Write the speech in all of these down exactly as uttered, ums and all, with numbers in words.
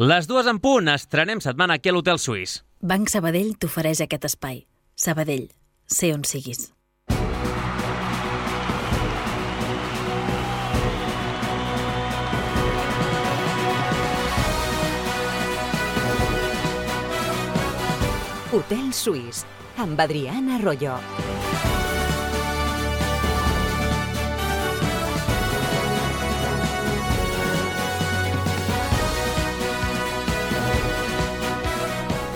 Les dues en punt, estrenem setmana aquí a l'Hotel Suís. Banc Sabadell t'ofereix aquest espai. Sabadell, sé on siguis. Hotel Suís, amb Adriana Arroyo.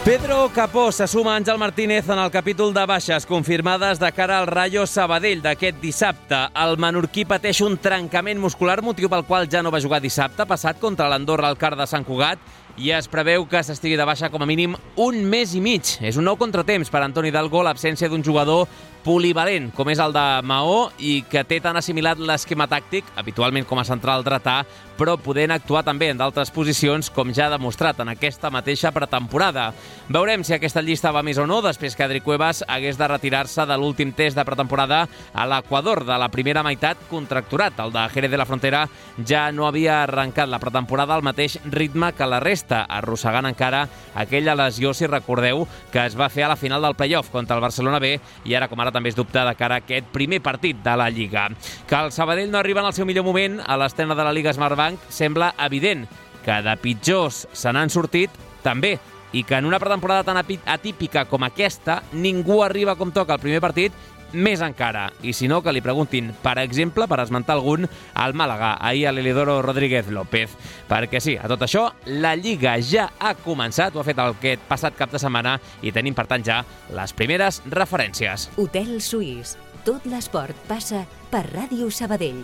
Pedro Capó se suma a Àngel Martínez en el capítol de baixes confirmades de cara al Rayo Sabadell d'aquest dissabte. El menorquí pateix un trencament muscular, motiu pel qual ja no va jugar dissabte passat contra l'Andorra al Carr de Sant Cugat, i es preveu que s'estigui de baixa com a mínim un mes i mig. És un nou contratemps per Antoni Dalgo, l'absència d'un jugador polivalent, com és el de Maó, i que té tan assimilat l'esquema tàctic, habitualment com a central dretà, però podent actuar també en d'altres posicions, com ja ha demostrat en aquesta mateixa pretemporada. Veurem si aquesta llista va més o no, després que Adri Cuevas hagués de retirar-se de l'últim test de pretemporada a l'Equador de la primera meitat contracturat. El de Jerez de la Frontera ja no havia arrencat la pretemporada al mateix ritme que la resta, arrossegant encara aquella lesió, si recordeu, que es va fer a la final del play-off contra el Barcelona B, i ara com ara també és dubte de cara a aquest primer partit de la Lliga. Que el Sabadell no arriba en el seu millor moment a l'estrena de la Lliga Smartbank sembla evident. Que de pitjors se n'han sortit també, i que en una pretemporada tan atípica com aquesta ningú arriba com toca el primer partit, més encara. I si no, que li preguntin, per exemple, per esmentar algun, al Màlaga, ahir a l'Elidoro Rodríguez López. Perquè sí, a tot això, la Lliga ja ha començat, ho ha fet aquest passat cap de setmana, i tenim, per tant, ja les primeres referències. Hotel Suís. Tot l'esport passa per Ràdio Sabadell.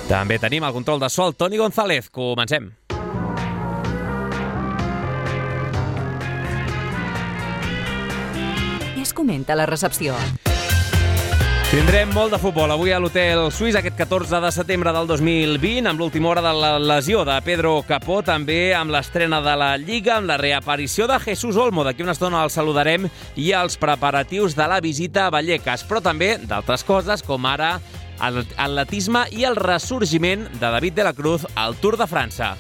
També tenim el control de so el Toni González. Comencem. Es comenta la recepció. Tindrem molt de futbol avui a l'Hotel Suís aquest catorze de setembre del dos mil vint, amb l'última hora de la lesió de Pedro Capó, també amb l'estrena de la Lliga, amb la reaparició de Jesús Olmo. D'aquí una estona el saludarem, i els preparatius de la visita a Vallecas, però també d'altres coses, com ara l'atletisme i el ressorgiment de David de la Cruz al Tour de França.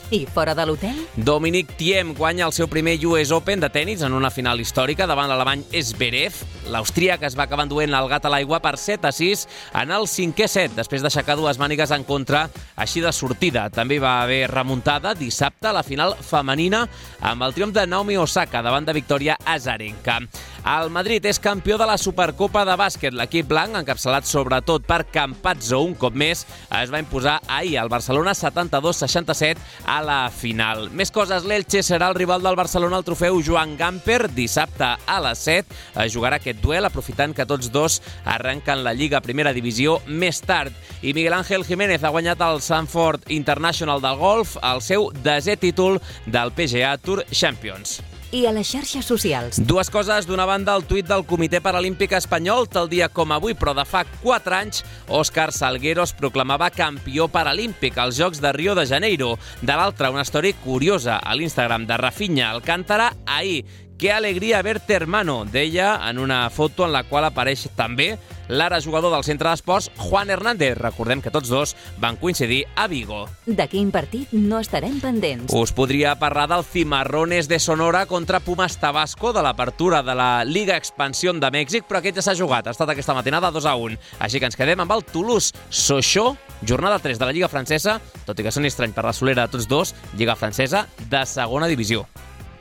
I fora de l'hotel? Dominic Thiem guanya el seu primer U S Open de tennis en una final històrica davant l'alemany Zverev. L'austríac es va acabar enduent el gat a l'aigua per set a sis en el cinquè set, després d'aixecar dues mànigues en contra, així de sortida. També va haver remuntada dissabte a la final femenina amb el triomf de Naomi Osaka davant de Victoria Azarenka. El Madrid és campió de la Supercopa de bàsquet. L'equip blanc, encapçalat sobretot per Campazzo, un cop més, es va imposar ahir al Barcelona setanta-dos seixanta-set a la final. Més coses, l'Elche serà el rival del Barcelona al trofeu Joan Gamper. Dissabte a les set es jugarà aquest duel, aprofitant que tots dos arrenquen la Lliga Primera Divisió més tard. I Miguel Ángel Jiménez ha guanyat el Sanford International del golf, el seu desè títol del P G A Tour Champions. I a les xarxes socials. Dues coses. D'una banda, el tuit del Comitè Paralímpic Espanyol, tal dia com avui, però de fa quatre anys, Òscar Salguero es proclamava campió paralímpic als Jocs de Rio de Janeiro. De l'altra, una història curiosa a l'Instagram de Rafinha Alcántara ahir. «Qué alegría verte, hermano», deia en una foto en la qual apareix també l'ara jugador del centre d'esports, Juan Hernández. Recordem que tots dos van coincidir a Vigo. De quin partit no estarem pendents? Us podria parlar del Cimarrones de Sonora contra Pumas Tabasco de l'apertura de la Liga Expansión de Mèxic, però aquest ja s'ha jugat. Ha estat aquesta matinada dos a un. Així que ens quedem amb el Toulouse-Sochaux, jornada tres de la Lliga Francesa, tot i que soni estrany per la solera de tots dos, Lliga Francesa de segona divisió.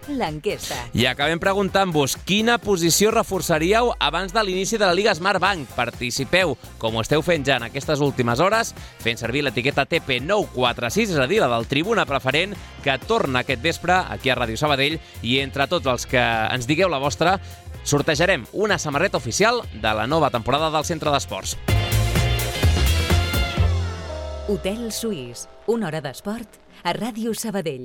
L'enquesta. I acabem preguntant-vos quina posició reforçaríeu abans de l'inici de la Lliga Smartbank. Participeu, com ho esteu fent ja en aquestes últimes hores, fent servir l'etiqueta T P nou quatre sis, és a dir, la del Tribuna Preferent, que torna aquest vespre aquí a Ràdio Sabadell, i entre tots els que ens digueu la vostra, sortejarem una samarreta oficial de la nova temporada del Centre d'Esports. Hotel Suís, una hora d'esport a Ràdio Sabadell.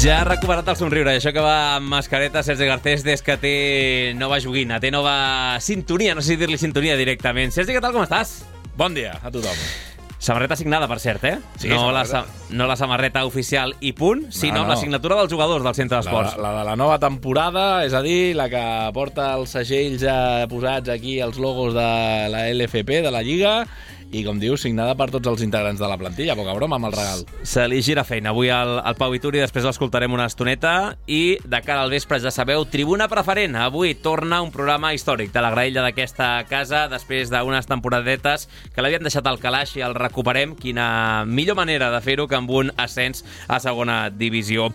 Ja ha recuperat el somriure, això que va amb mascareta Sergi Garcés des que té nova joguina, té nova sintonia, no sé si dir-li sintonia directament. Sergi, què tal, com estàs? Bon dia a tothom. Samarreta signada, per cert, eh? Sí, no, la, samarreta. no la samarreta oficial i punt, sinó No, no, no. la signatura dels jugadors del centre d'esports. La, la de la nova temporada, és a dir, la que porta els segells eh, posats aquí, els logos de la L F P, de la Lliga, i, com dius, signada per tots els integrants de la plantilla. Poca broma amb el regal. Se li gira feina avui al, al Pau Vituri, després l'escoltarem una estoneta, i de cara al vespre, ja sabeu, Tribuna Preferent. Avui torna un programa històric de la graella d'aquesta casa, després d'unes temporadetes que l'havien deixat al calaix i el recuperem. Quina millor manera de fer-ho que amb un ascens a segona divisió.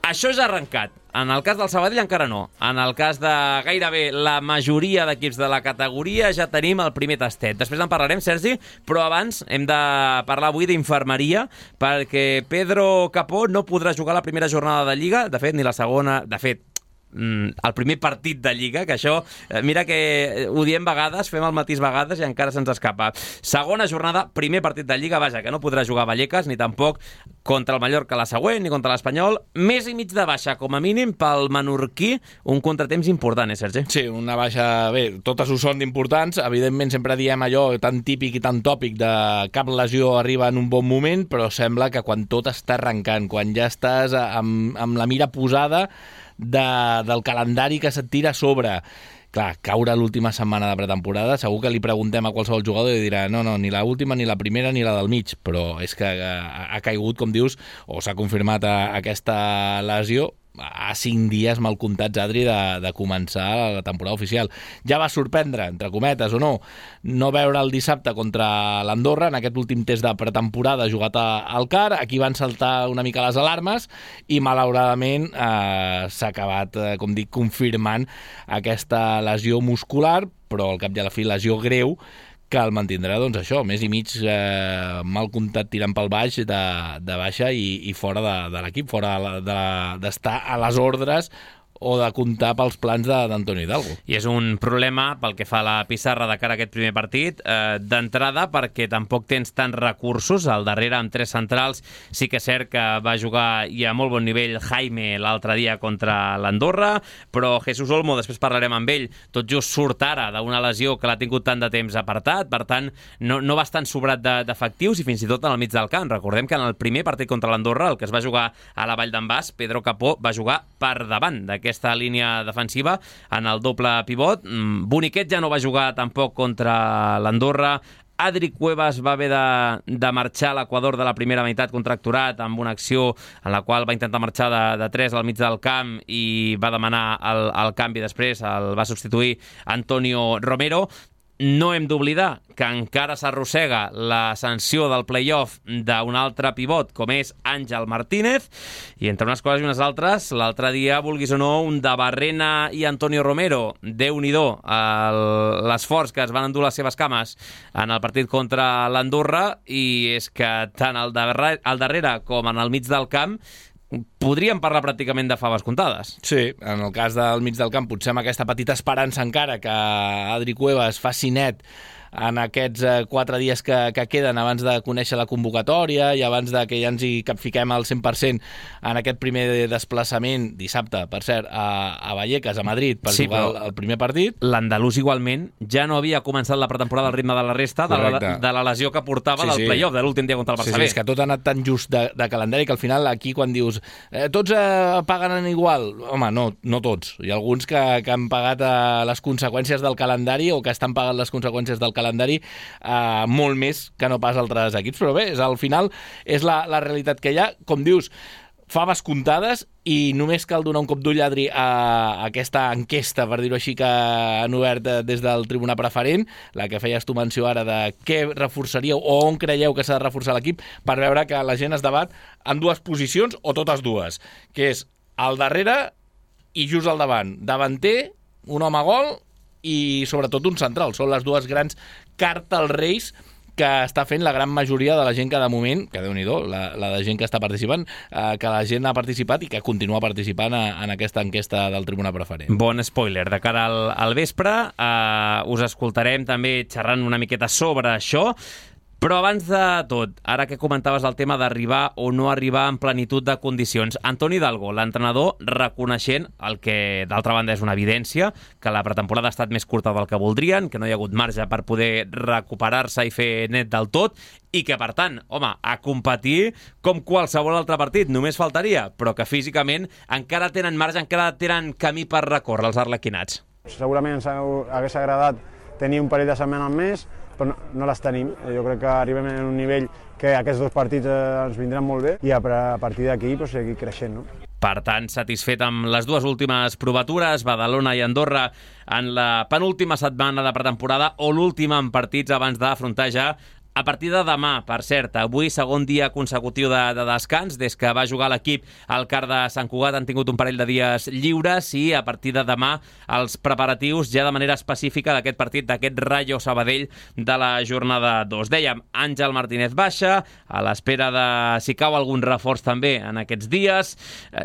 Això ja ha arrencat. En el cas del Sabadell encara no. En el cas de gairebé la majoria d'equips de la categoria ja tenim el primer tastet. Després en parlarem, Sergi, però abans hem de parlar avui d'infermeria, perquè Pedro Capó no podrà jugar la primera jornada de Lliga, de fet, ni la segona, de fet, el primer partit de Lliga, que això, mira que ho diem vegades, fem el matís vegades i encara se'ns escapa. Segona jornada, primer partit de Lliga, vaja, que no podrà jugar Vallecas, ni tampoc contra el Mallorca la següent, ni contra l'Espanyol. Mes i mig de baixa, com a mínim, pel menorquí, un contratemps important, eh, Sergi? Sí, una baixa... Bé, totes ho són d'importants. Evidentment, sempre diem allò tan típic i tan tòpic de cap lesió arriba en un bon moment, però sembla que quan tot està arrencant, quan ja estàs amb, amb la mira posada de, del calendari que se't tira a sobre, clar, caure l'última setmana de pretemporada, segur que li preguntem a qualsevol jugador i dirà no, no, ni la última, ni la primera, ni la del mig, però és que ha, ha caigut, com dius, o s'ha confirmat a, a aquesta lesió a cinc dies mal comptats, Adri, de, de començar la temporada oficial. Ja va sorprendre, entre cometes o no, no veure el dissabte contra l'Andorra en aquest últim test de pretemporada jugat al C A R. Aquí van saltar una mica les alarmes i malauradament eh, s'ha acabat, eh, com dic, confirmant aquesta lesió muscular, però al cap i a la fi lesió greu, que el mantindrà, doncs això, més i mig eh, mal comptat tirant pel baix de, de baixa i, i fora de, de l'equip, fora d'estar de, de, a les ordres o de comptar pels plans d'Antonio Hidalgo. I és un problema pel que fa a la pissarra de cara a aquest primer partit, eh, d'entrada perquè tampoc tens tants recursos. Al darrere, amb tres centrals, sí que és cert que va jugar i a molt bon nivell Jaime l'altre dia contra l'Andorra, però Jesús Olmo, després parlarem amb ell, tot just surt ara d'una lesió que l'ha tingut tant de temps apartat, per tant, no, no va estar sobrat d'efectius i fins i tot en el mig del camp. Recordem que en el primer partit contra l'Andorra, el que es va jugar a la Vall d'en Bas, Pedro Capó va jugar per davant d'aquest aquesta línia defensiva en el doble pivot. Boniquet ja no va jugar tampoc contra l'Andorra. Adri Cuevas va haver de, de marxar a l'Equador de la primera meitat contracturat amb una acció en la qual va intentar marxar de, de tres al mig del camp i va demanar el, el canvi després, el va substituir Antonio Romero. No hem d'oblidar que encara s'arrossega la sanció del play-off d'un altre pivot, com és Àngel Martínez, i entre unes coses i unes altres, l'altre dia, vulguis o no, un de Barrena i Antonio Romero, Déu-n'hi-do, l'esforç que es van endur les seves cames en el partit contra l'Andorra, i és que tant al darrere, al darrere com en el mig del camp podríem parlar pràcticament de faves comptades. Sí, en el cas del mig del camp potser amb aquesta petita esperança encara que Adri Cuevas faci net en aquests eh, quatre dies que, que queden abans de conèixer la convocatòria i abans de que ja ens hi capfiquem al cent per cent en aquest primer desplaçament dissabte, per cert, a, a Vallecas, a Madrid, per sí, jugar el, el primer partit. L'andalús igualment ja no havia començat la pretemporada al ritme de la resta de la, de la lesió que portava sí, del sí. play-off de l'últim dia contra el Barça B. Sí, sí, és que tot ha anat tan just de, de calendari que al final aquí quan dius eh, tots eh, paguen igual, home, no, no tots. Hi ha alguns que, que han pagat eh, les conseqüències del calendari o que estan pagant les conseqüències del calendari eh, molt més que no pas altres equips, però bé, és, al final és la, la realitat que hi ha. Com dius, faves comptades i només cal donar un cop d'ull, Adri, a aquesta enquesta, per dir-ho així, que han obert des del Tribuna Preferent, la que feies tu menció ara de què reforçaríeu o on creieu que s'ha de reforçar l'equip, per veure que la gent es debat en dues posicions o totes dues, que és al darrere i just al davant. Davanter, un home gol i sobretot un central. Són les dues grans cartes als Reis que està fent la gran majoria de la gent que de moment, que Déu-n'hi-do, la, la de gent que està participant, eh, que la gent ha participat i que continua participant a, en aquesta enquesta del Tribuna Preferent. Bon spoiler. De cara al, al vespre eh, us escoltarem també xerrant una miqueta sobre això. Però abans de tot, ara que comentaves el tema d'arribar o no arribar en plenitud de condicions, Antoni Hidalgo, l'entrenador, reconeixent el que d'altra banda és una evidència, que la pretemporada ha estat més curta del que voldrien, que no hi ha hagut marge per poder recuperar-se i fer net del tot, i que, per tant, home, a competir com qualsevol altre partit, només faltaria, però que físicament encara tenen marge, encara tenen camí per recórrer els arlequinats. Segurament ens hagués agradat tenir un parell de setmanes més, però no, no les tenim. Jo crec que arribem en un nivell que aquests dos partits eh, ens vindran molt bé i a partir d'aquí pues, seguir creixent, no? Per tant, satisfet amb les dues últimes provatures, Badalona i Andorra en la penúltima setmana de pretemporada o l'última en partits abans d'afrontar ja a partir de demà, per cert, avui segon dia consecutiu de, de descans, des que va jugar l'equip al Car de Sant Cugat han tingut un parell de dies lliures i a partir de demà els preparatius ja de manera específica d'aquest partit, d'aquest Rayo Sabadell de la jornada dos. Dèiem, Àngel Martínez baixa, a l'espera de si cau algun reforç també en aquests dies.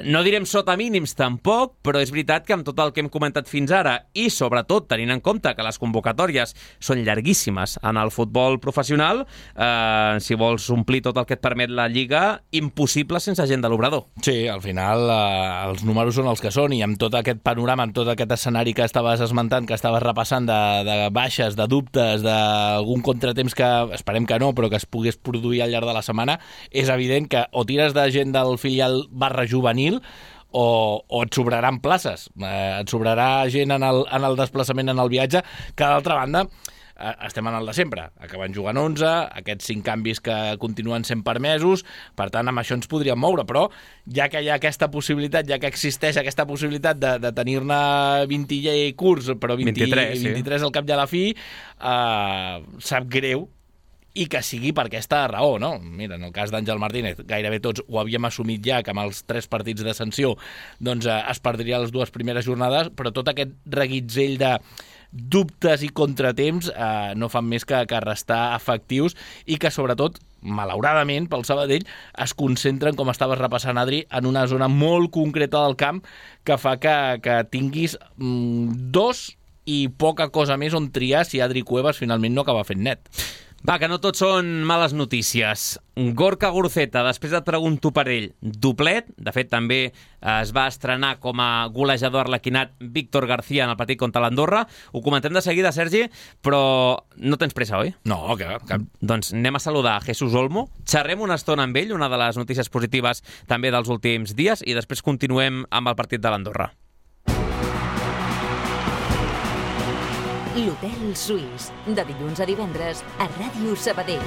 No direm sota mínims tampoc, però és veritat que amb tot el que hem comentat fins ara i sobretot tenint en compte que les convocatòries són llarguíssimes en el futbol professional, Eh, si vols omplir tot el que et permet la Lliga, impossible sense gent de l'Obrador. Sí, al final eh, els números són els que són i amb tot aquest panorama, amb tot aquest escenari que estaves esmentant, que estaves repassant de, de baixes, de dubtes, d'algun contratemps que esperem que no, però que es pogués produir al llarg de la setmana, és evident que o tires de gent del filial barra juvenil o, o et sobraran places, eh, et sobrarà gent en el, en el desplaçament, en el viatge, que d'altra banda estem en el de sempre, acaben jugant onze, aquests cinc canvis que continuen sent permesos, per tant amb això ens podríem moure, però ja que hi ha aquesta possibilitat, ja que existeix aquesta possibilitat de, de tenir-ne vint i curts, però vint, vint-i-tres, sí. vint-i-tres al cap i a la fi, eh, sap greu i que sigui per aquesta raó, no? Mira, en el cas d'Àngel Martínez, gairebé tots ho havíem assumit ja, que amb els tres partits de sanció doncs, eh, es perdria les dues primeres jornades, però tot aquest reguitzell de dubtes i contratemps eh, no fan més que, que restar efectius i que, sobretot, malauradament, pel Sabadell, es concentren, com estaves repassant, Adri, en una zona molt concreta del camp que fa que, que tinguis mm, dos i poca cosa més on triar si Adri Cuevas finalment no acaba fent net. Va, que no tot són males notícies. Gorka Guruceta, després et pregunto per ell, doblet, de fet també es va estrenar com a golejador arlequinat Víctor García en el partit contra l'Andorra. Ho comentem de seguida, Sergi, però no tens pressa, oi? No, que cap. Doncs anem a saludar a Jesús Olmo, xerrem una estona amb ell, una de les notícies positives també dels últims dies, i després continuem amb el partit de l'Andorra. L'Hotel Suís, de dilluns a divendres a Ràdio Sabadell.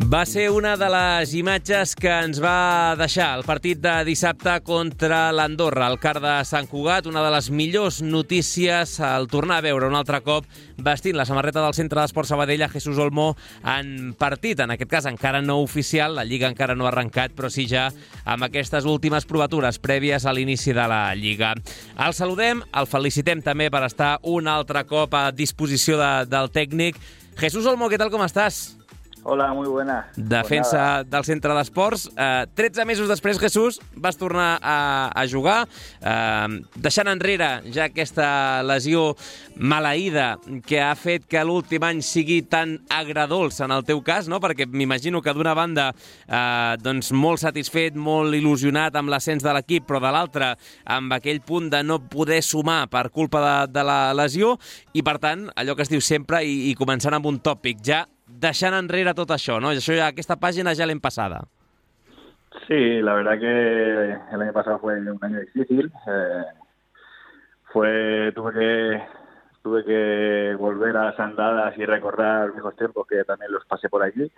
Va ser una de les imatges que ens va deixar el partit de dissabte contra l'Andorra, al Car de Sant Cugat, una de les millors notícies al tornar a veure un altre cop vestint la samarreta del Centre d'Esports Sabadell a Jesús Olmo en partit, en aquest cas encara no oficial, la Lliga encara no ha arrencat, però sí ja amb aquestes últimes provatures prèvies a l'inici de la Lliga. El saludem, el felicitem també per estar un altre cop a disposició de, del tècnic. Jesús Olmo, què tal, com estàs? Hola, muy buena. Defensa pues del Centre d'Esports. Eh, tretze mesos després, Jesús, vas tornar a, a jugar, eh, deixant enrere ja aquesta lesió maleïda que ha fet que l'últim any sigui tan agradolç en el teu cas, no? Perquè m'imagino que d'una banda eh, doncs molt satisfet, molt il·lusionat amb l'ascens de l'equip, però de l'altra amb aquell punt de no poder sumar per culpa de, de la lesió i, per tant, allò que es diu sempre i, i començant amb un tòpic, ja deixant enrere tot això, ¿no? Això ya, aquesta página ya l'hem pasada. Sí, la verdad que el año pasado fue un año difícil. Eh, fue tuve que tuve que volver a las andadas y recordar viejos tiempos que también los pasé por allí,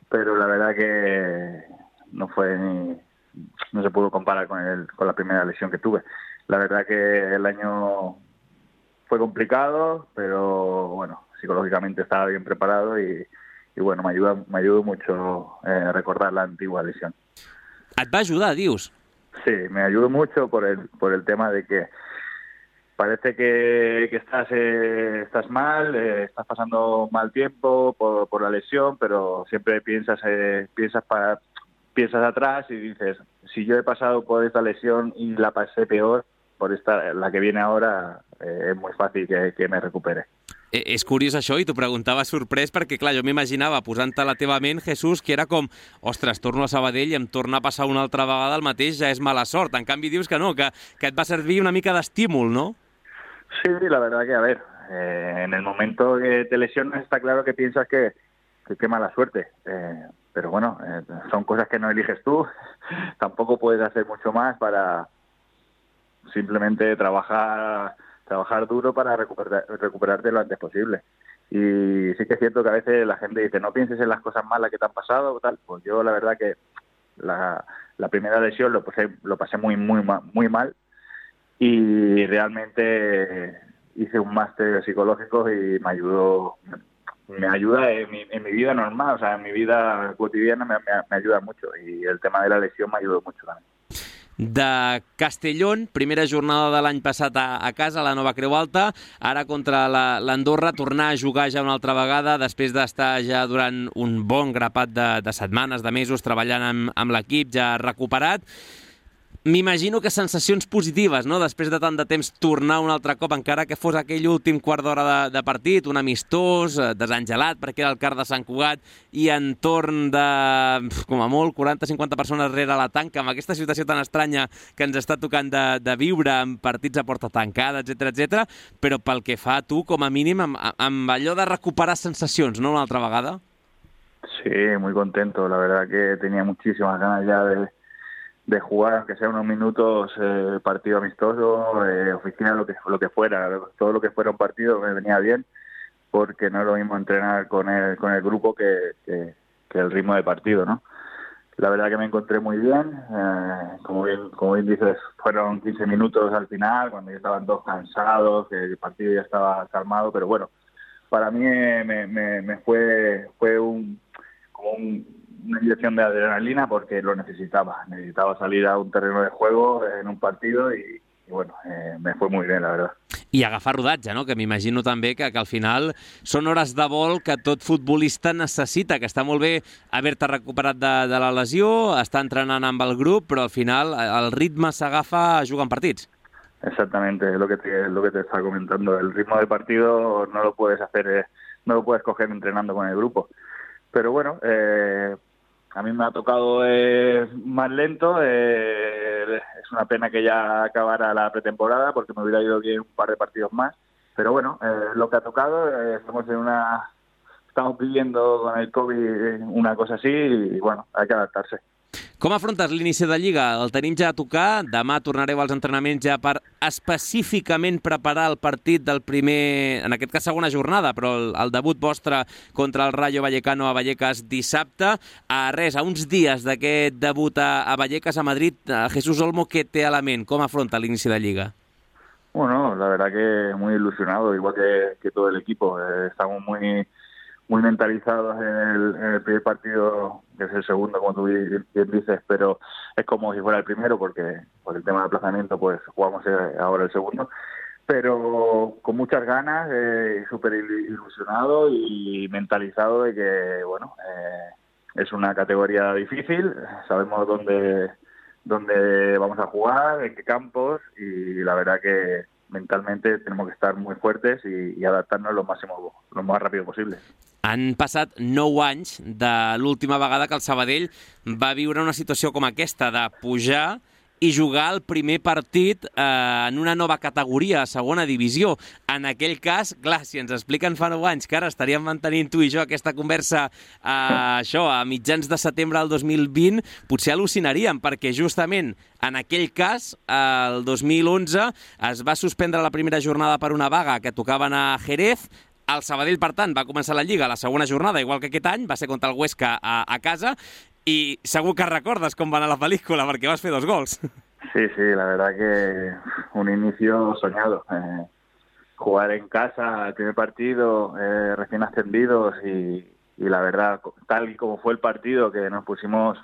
pero la verdad que no fue ni no se pudo comparar con el con la primera lesión que tuve. La verdad que el año fue complicado, pero bueno, psicológicamente estaba bien preparado y y bueno, me ayuda, me ayudó mucho eh, recordar la antigua lesión. Et va ajudar, dius? Sí, me ayudó mucho por el por el tema de que parece que, que estás eh, estás mal, eh, estás pasando mal tiempo por, por la lesión, pero siempre piensas eh, piensas para piensas atrás y dices, si yo he pasado por esta lesión y la pasé peor, por esta, la que viene ahora, eh, es muy fácil que, que me recupere. És curiós això, i t'ho preguntava sorprès perquè, clar, jo m'imaginava, posant-te a la teva ment, Jesús, que era com, ostres, torno a Sabadell i em torna a passar una altra vegada el mateix, ja és mala sort. En canvi dius que no, que, que et va servir una mica d'estímul, ¿no? Sí, la verdad que, a ver, eh, en el momento que te lesionas está claro que piensas que, que qué mala suerte. Eh, pero bueno, eh, son cosas que no eliges tú. Tampoco puedes hacer mucho más para simplemente trabajar... trabajar duro para recuperar, recuperarte lo antes posible. Y sí que es cierto que a veces la gente dice, no pienses en las cosas malas que te han pasado, tal. Pues yo la verdad que la, la primera lesión lo pasé, lo pasé muy, muy, muy mal, y realmente hice un máster psicológico y me ayudó, me ayuda en mi, en mi vida normal, o sea, en mi vida cotidiana me, me, me ayuda mucho, y el tema de la lesión me ayudó mucho también. De Castellón, primera jornada de l'any passat a, a casa, a la Nova Creu Alta, ara contra l'Andorra, tornar a jugar ja una altra vegada, després d'estar ja durant un bon grapat de, de setmanes, de mesos, treballant amb, amb l'equip, ja recuperat. M'imagino que sensacions positives, no?, després de tant de temps tornar un altre cop, encara que fos aquell últim quart d'hora de, de partit, un amistós, desengelat, perquè era el Car de Sant Cugat, i entorn de, com a molt, quaranta a cinquanta persones rere la tanca, amb aquesta situació tan estranya que ens està tocant de, de viure, amb partits a porta tancada, etcètera, etcètera, però pel que fa a tu, com a mínim, amb, amb allò de recuperar sensacions, no?, una altra vegada? Sí, muy contento, la verdad que tenía muchísimas ganas ya de... de jugar, aunque sea unos minutos, eh, partido amistoso, eh, oficina, lo que, lo que fuera, todo lo que fuera un partido me venía bien, porque no es lo mismo entrenar con el, con el grupo que, que, que el ritmo de partido, ¿no? La verdad que me encontré muy bien, eh, como bien como bien dices, fueron quince minutos al final, cuando ya estaban todos cansados, que el partido ya estaba calmado, pero bueno, para mí me, me, me fue, fue un, como un una inyección de adrenalina, porque lo necesitaba. Necesitaba salir a un terreno de juego en un partido y, y bueno, eh, me fue muy bien, la verdad. I agafar rodatge, no?, que m'imagino també que, que al final són hores de vol que tot futbolista necessita, que està molt bé haver-te recuperat de, de la lesió, estar entrenant amb el grup, però al final el ritme s'agafa jugant partits. Exactamente, es lo que te, lo que te estaba comentando. El ritmo del partido no lo puedes hacer, eh, no lo puedes coger entrenando con el grupo. Pero bueno, eh, a mí me ha tocado eh, más lento, eh, es una pena que ya acabara la pretemporada porque me hubiera ido bien un par de partidos más, pero bueno, eh, lo que ha tocado, eh, estamos en una, estamos viviendo con el COVID una cosa así y bueno, hay que adaptarse. Com afrontes l'inici de Lliga? El tenim ja a tocar, demà tornareu als entrenaments ja per específicament preparar el partit del primer, en aquest cas segona jornada, però el, el debut vostre contra el Rayo Vallecano a Vallecas dissabte. A res, a uns dies d'aquest debut a, a Vallecas, a Madrid, a Jesús Olmo, què té a la ment? Com afronta l'inici de Lliga? Bueno, la verdad que muy ilusionado, igual que, que todo el equipo. Eh, estamos muy... muy mentalizados en el, en el primer partido, que es el segundo, como tú bien dices, pero es como si fuera el primero, porque por el tema de aplazamiento pues jugamos ahora el segundo, pero con muchas ganas, eh, súper ilusionado y mentalizado de que, bueno, eh, es una categoría difícil, sabemos dónde, dónde vamos a jugar, en qué campos, y la verdad que mentalmente tenemos que estar muy fuertes y, y adaptarnos lo máximo, lo más rápido posible. Han passat nou anys de l'última vegada que el Sabadell va viure una situació com aquesta, de pujar i jugar el primer partit eh, en una nova categoria, a segona divisió. En aquell cas, clar, si ens expliquen fa nou anys que ara estaríem mantenint tu i jo aquesta conversa eh, això, a mitjans de setembre del dos mil vint, potser al·lucinaríem, perquè justament en aquell cas, el dos mil onze, es va suspendre la primera jornada per una vaga que tocaven a Jerez. El Sabadell, per tant, va començar la Lliga a la segona jornada, igual que aquest any, va ser contra el Huesca a, a casa, i segur que recordes com va anar la pel·lícula, perquè vas fer dos gols. Sí, sí, la verdad que un inicio soñado. Eh, jugar en casa, el primer partido, eh, recién ascendidos, y, y la verdad, tal y como fue el partido, que nos pusimos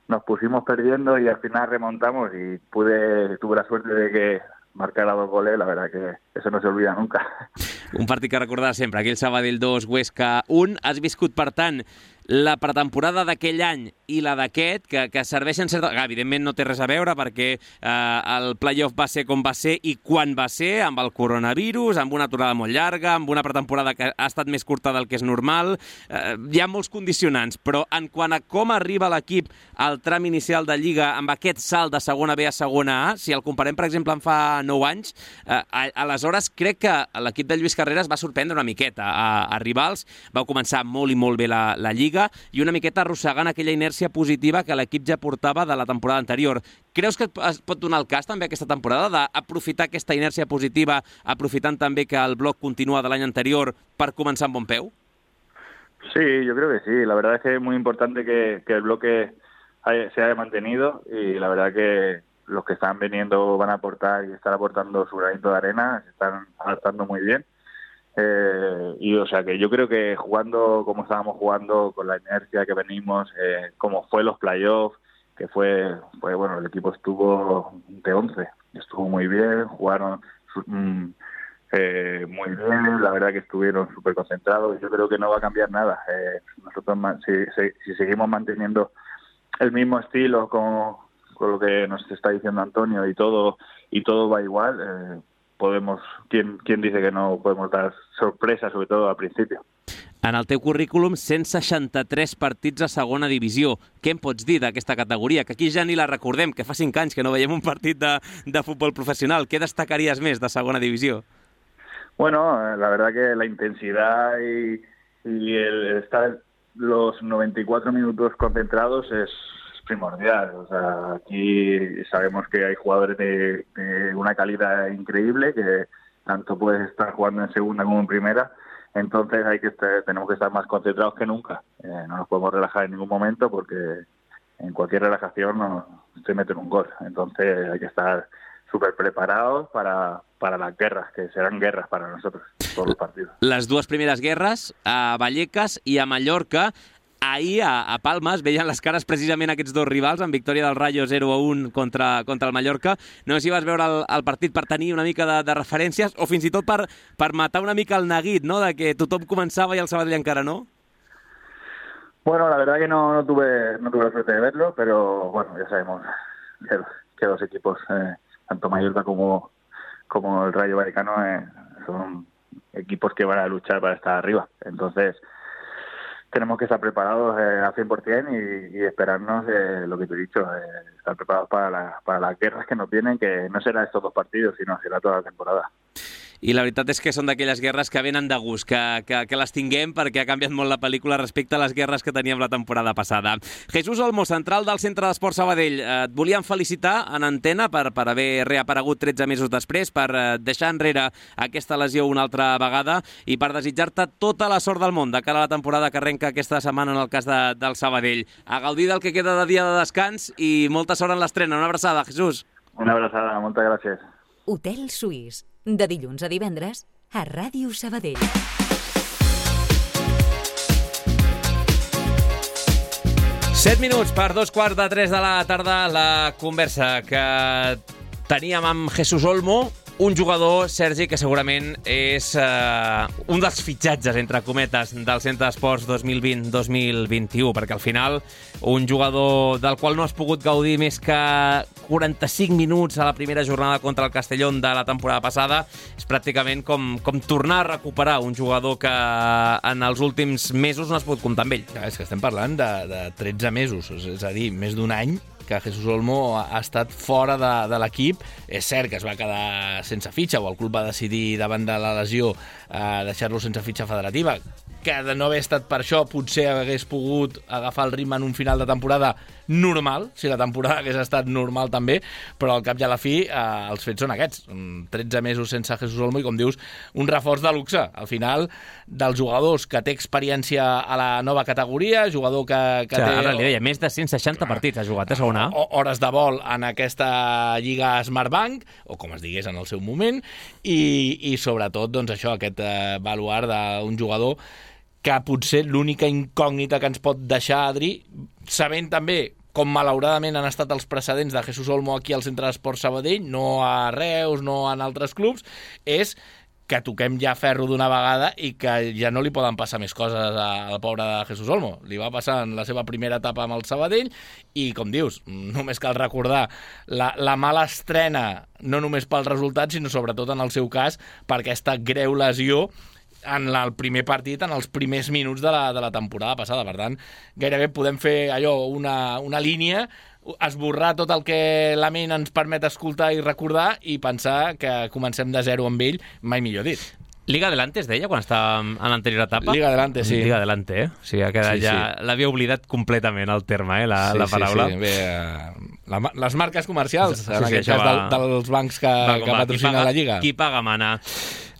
nos pusimos perdiendo y al final remontamos, y pude tuve la suerte de que marcar a dos goles, la verdad que eso no se olvida nunca. Un partit que recordar sempre, aquell Sabadell dos, Huesca un. Has viscut, per tant, la pretemporada d'aquell any i la d'aquest, que, que serveixen certa... Evidentment no té res a veure perquè eh, el playoff va ser com va ser i quan va ser, amb el coronavirus, amb una aturada molt llarga, amb una pretemporada que ha estat més curta del que és normal. Eh, hi ha molts condicionants, però en quant a com arriba l'equip al tram inicial de Lliga amb aquest salt de segona B a segona A, si el comparem, per exemple, en fa nou anys, eh, aleshores crec que l'equip de Lluís Carreras va sorprendre una miqueta a, a rivals, va començar molt i molt bé la, la Lliga i una miqueta arrossegant aquella inèrcia positiva que l'equip ja portava de la temporada anterior. Creus que es pot donar el cas també aquesta temporada d'aprofitar aquesta inèrcia positiva, aprofitant també que el bloc continua de l'any anterior per començar amb bon peu? Sí, yo creo que sí. La verdad es que es muy importante que, que el bloque haya, se haya mantenido y la verdad que los que están viniendo van a aportar y están aportando su granito de arena, se están adaptando muy bien. Eh, y o sea que yo creo que jugando como estábamos jugando, con la inercia que venimos, eh, como fue los playoffs, que fue, fue, bueno, el equipo estuvo de once, estuvo muy bien, jugaron mm, eh, muy bien, la verdad que estuvieron súper concentrados, yo creo que no va a cambiar nada. Eh, nosotros si, si, si seguimos manteniendo el mismo estilo con, con lo que nos está diciendo Antonio y todo, y todo va igual, eh, podemos, ¿quién, quién dice que no podemos dar sorpresa, sobre todo al principio? En el teu currículum, cent seixanta-tres partits a segona divisió. Què em pots dir d'aquesta categoria? Que aquí ja ni la recordem, que fa cinc anys que no veiem un partit de, de futbol professional. Què destacaries més de segona divisió? Bueno, la verdad que la intensidad y, y el estar los noventa y cuatro minutos concentrados es primordial. O sea, aquí sabemos que hay jugadores de, de una calidad increíble, que tanto puedes estar jugando en segunda como en primera, entonces hay que estar, tenemos que estar más concentrados que nunca. Eh, no nos podemos relajar en ningún momento porque en cualquier relajación nos, se meten un gol. Entonces hay que estar súper preparados para, para las guerras, que serán guerras para nosotros, todos los partidos. Les dues primeres guerres, a Vallecas i a Mallorca. Ahir a, a Palma es veien les cares precisament aquests dos rivals, amb victòria del Rayo zero a un contra, contra el Mallorca. No sé si vas veure el, el partit per tenir una mica de, de referències o fins i tot per, per matar una mica el neguit, ¿no?, de que tothom començava i el Sabadell encara no. Bueno, la verdad que no, no tuve no tuve la suerte de verlo, pero bueno, ya sabemos que, que los equipos, eh, tanto Mallorca como, como el Rayo Vallecano, eh, son equipos que van a luchar para estar arriba. Entonces tenemos que estar preparados eh, al cien por cien y, y esperarnos, eh, lo que te he dicho, eh, estar preparados para, la, para las guerras que nos vienen, que no será estos dos partidos, sino será toda la temporada. I la veritat és que són d'aquelles guerres que venen de gust, que, que, que les tinguem perquè ha canviat molt la pel·lícula respecte a les guerres que teníem la temporada passada. Jesús Olmo, central del Centre d'Esports Sabadell. Et volíem felicitar en antena per, per haver reaparegut tretze mesos després, per deixar enrere aquesta lesió una altra vegada i per desitjar-te tota la sort del món de cara a la temporada que arrenca aquesta setmana en el cas de, del Sabadell. A gaudir del que queda de dia de descans i molta sort en l'estrena. Una abraçada, Jesús. Una abraçada, moltes gràcies. Hotel Suís, de dilluns a divendres, a Ràdio Sabadell. Set minuts per dos quarts de tres de la tarda. La conversa que teníem amb Jesús Olmo, un jugador, Sergi, que segurament és uh, un dels fitxatges, entre cometes, del Centre d'Esports dos mil vint dos mil vint-i-u, perquè al final un jugador del qual no has pogut gaudir més que quaranta-cinc minuts a la primera jornada contra el Castellón de la temporada passada és pràcticament com, com tornar a recuperar un jugador que en els últims mesos no has pogut comptar amb ell. Ja, és que estem parlant de, de tretze mesos, és a dir, més d'un any que Jesús Olmo ha estat fora de, de l'equip. És cert que es va quedar sense fitxa, o el club va decidir davant de la lesió eh, deixar-lo sense fitxa federativa, que de no haver estat per això potser hagués pogut agafar el ritme en un final de temporada normal, si la temporada hagués estat normal també, però al cap i a la fi eh, els fets són aquests. tretze mesos sense Jesús Olmo i, com dius, un reforç de luxe. Al final, dels jugadors que té experiència a la nova categoria, jugador que, que o sigui, té... Ara li deia, més de cent seixanta partits ha jugat a segona. Hores de vol en aquesta Lliga Smartbank, o com es digués en el seu moment, i, i sobretot, doncs això, aquest eh, baluard d'un jugador que potser l'única incògnita que ens pot deixar, Adri, sabent també com malauradament han estat els precedents de Jesús Olmo aquí al Centre d'Esports Sabadell, no a Reus, no en altres clubs, és que toquem ja ferro d'una vegada i que ja no li poden passar més coses al pobre de Jesús Olmo. Li va passar en la seva primera etapa amb el Sabadell i, com dius, només cal recordar la, la mala estrena, no només pel resultat, sinó sobretot en el seu cas per aquesta greu lesió en el primer partit, en els primers minuts de la, de la temporada passada. Per tant, gairebé podem fer allò, una, una línia, esborrar tot el que la ment ens permet escoltar i recordar i pensar que comencem de zero amb ell, mai millor dit. Liga Adelante es deia quan estava en l'anterior etapa? Liga Adelante, sí. Liga Adelante, eh? O sigui, ha quedat sí, ja... Sí. L'havia oblidat completament el terme, eh, la, sí, la paraula. Sí, sí. Bé, uh, la, les marques comercials, sí, sí, en aquest sí, cas va... del, dels bancs que, va, que patrocinen paga, la Lliga. Qui paga mana.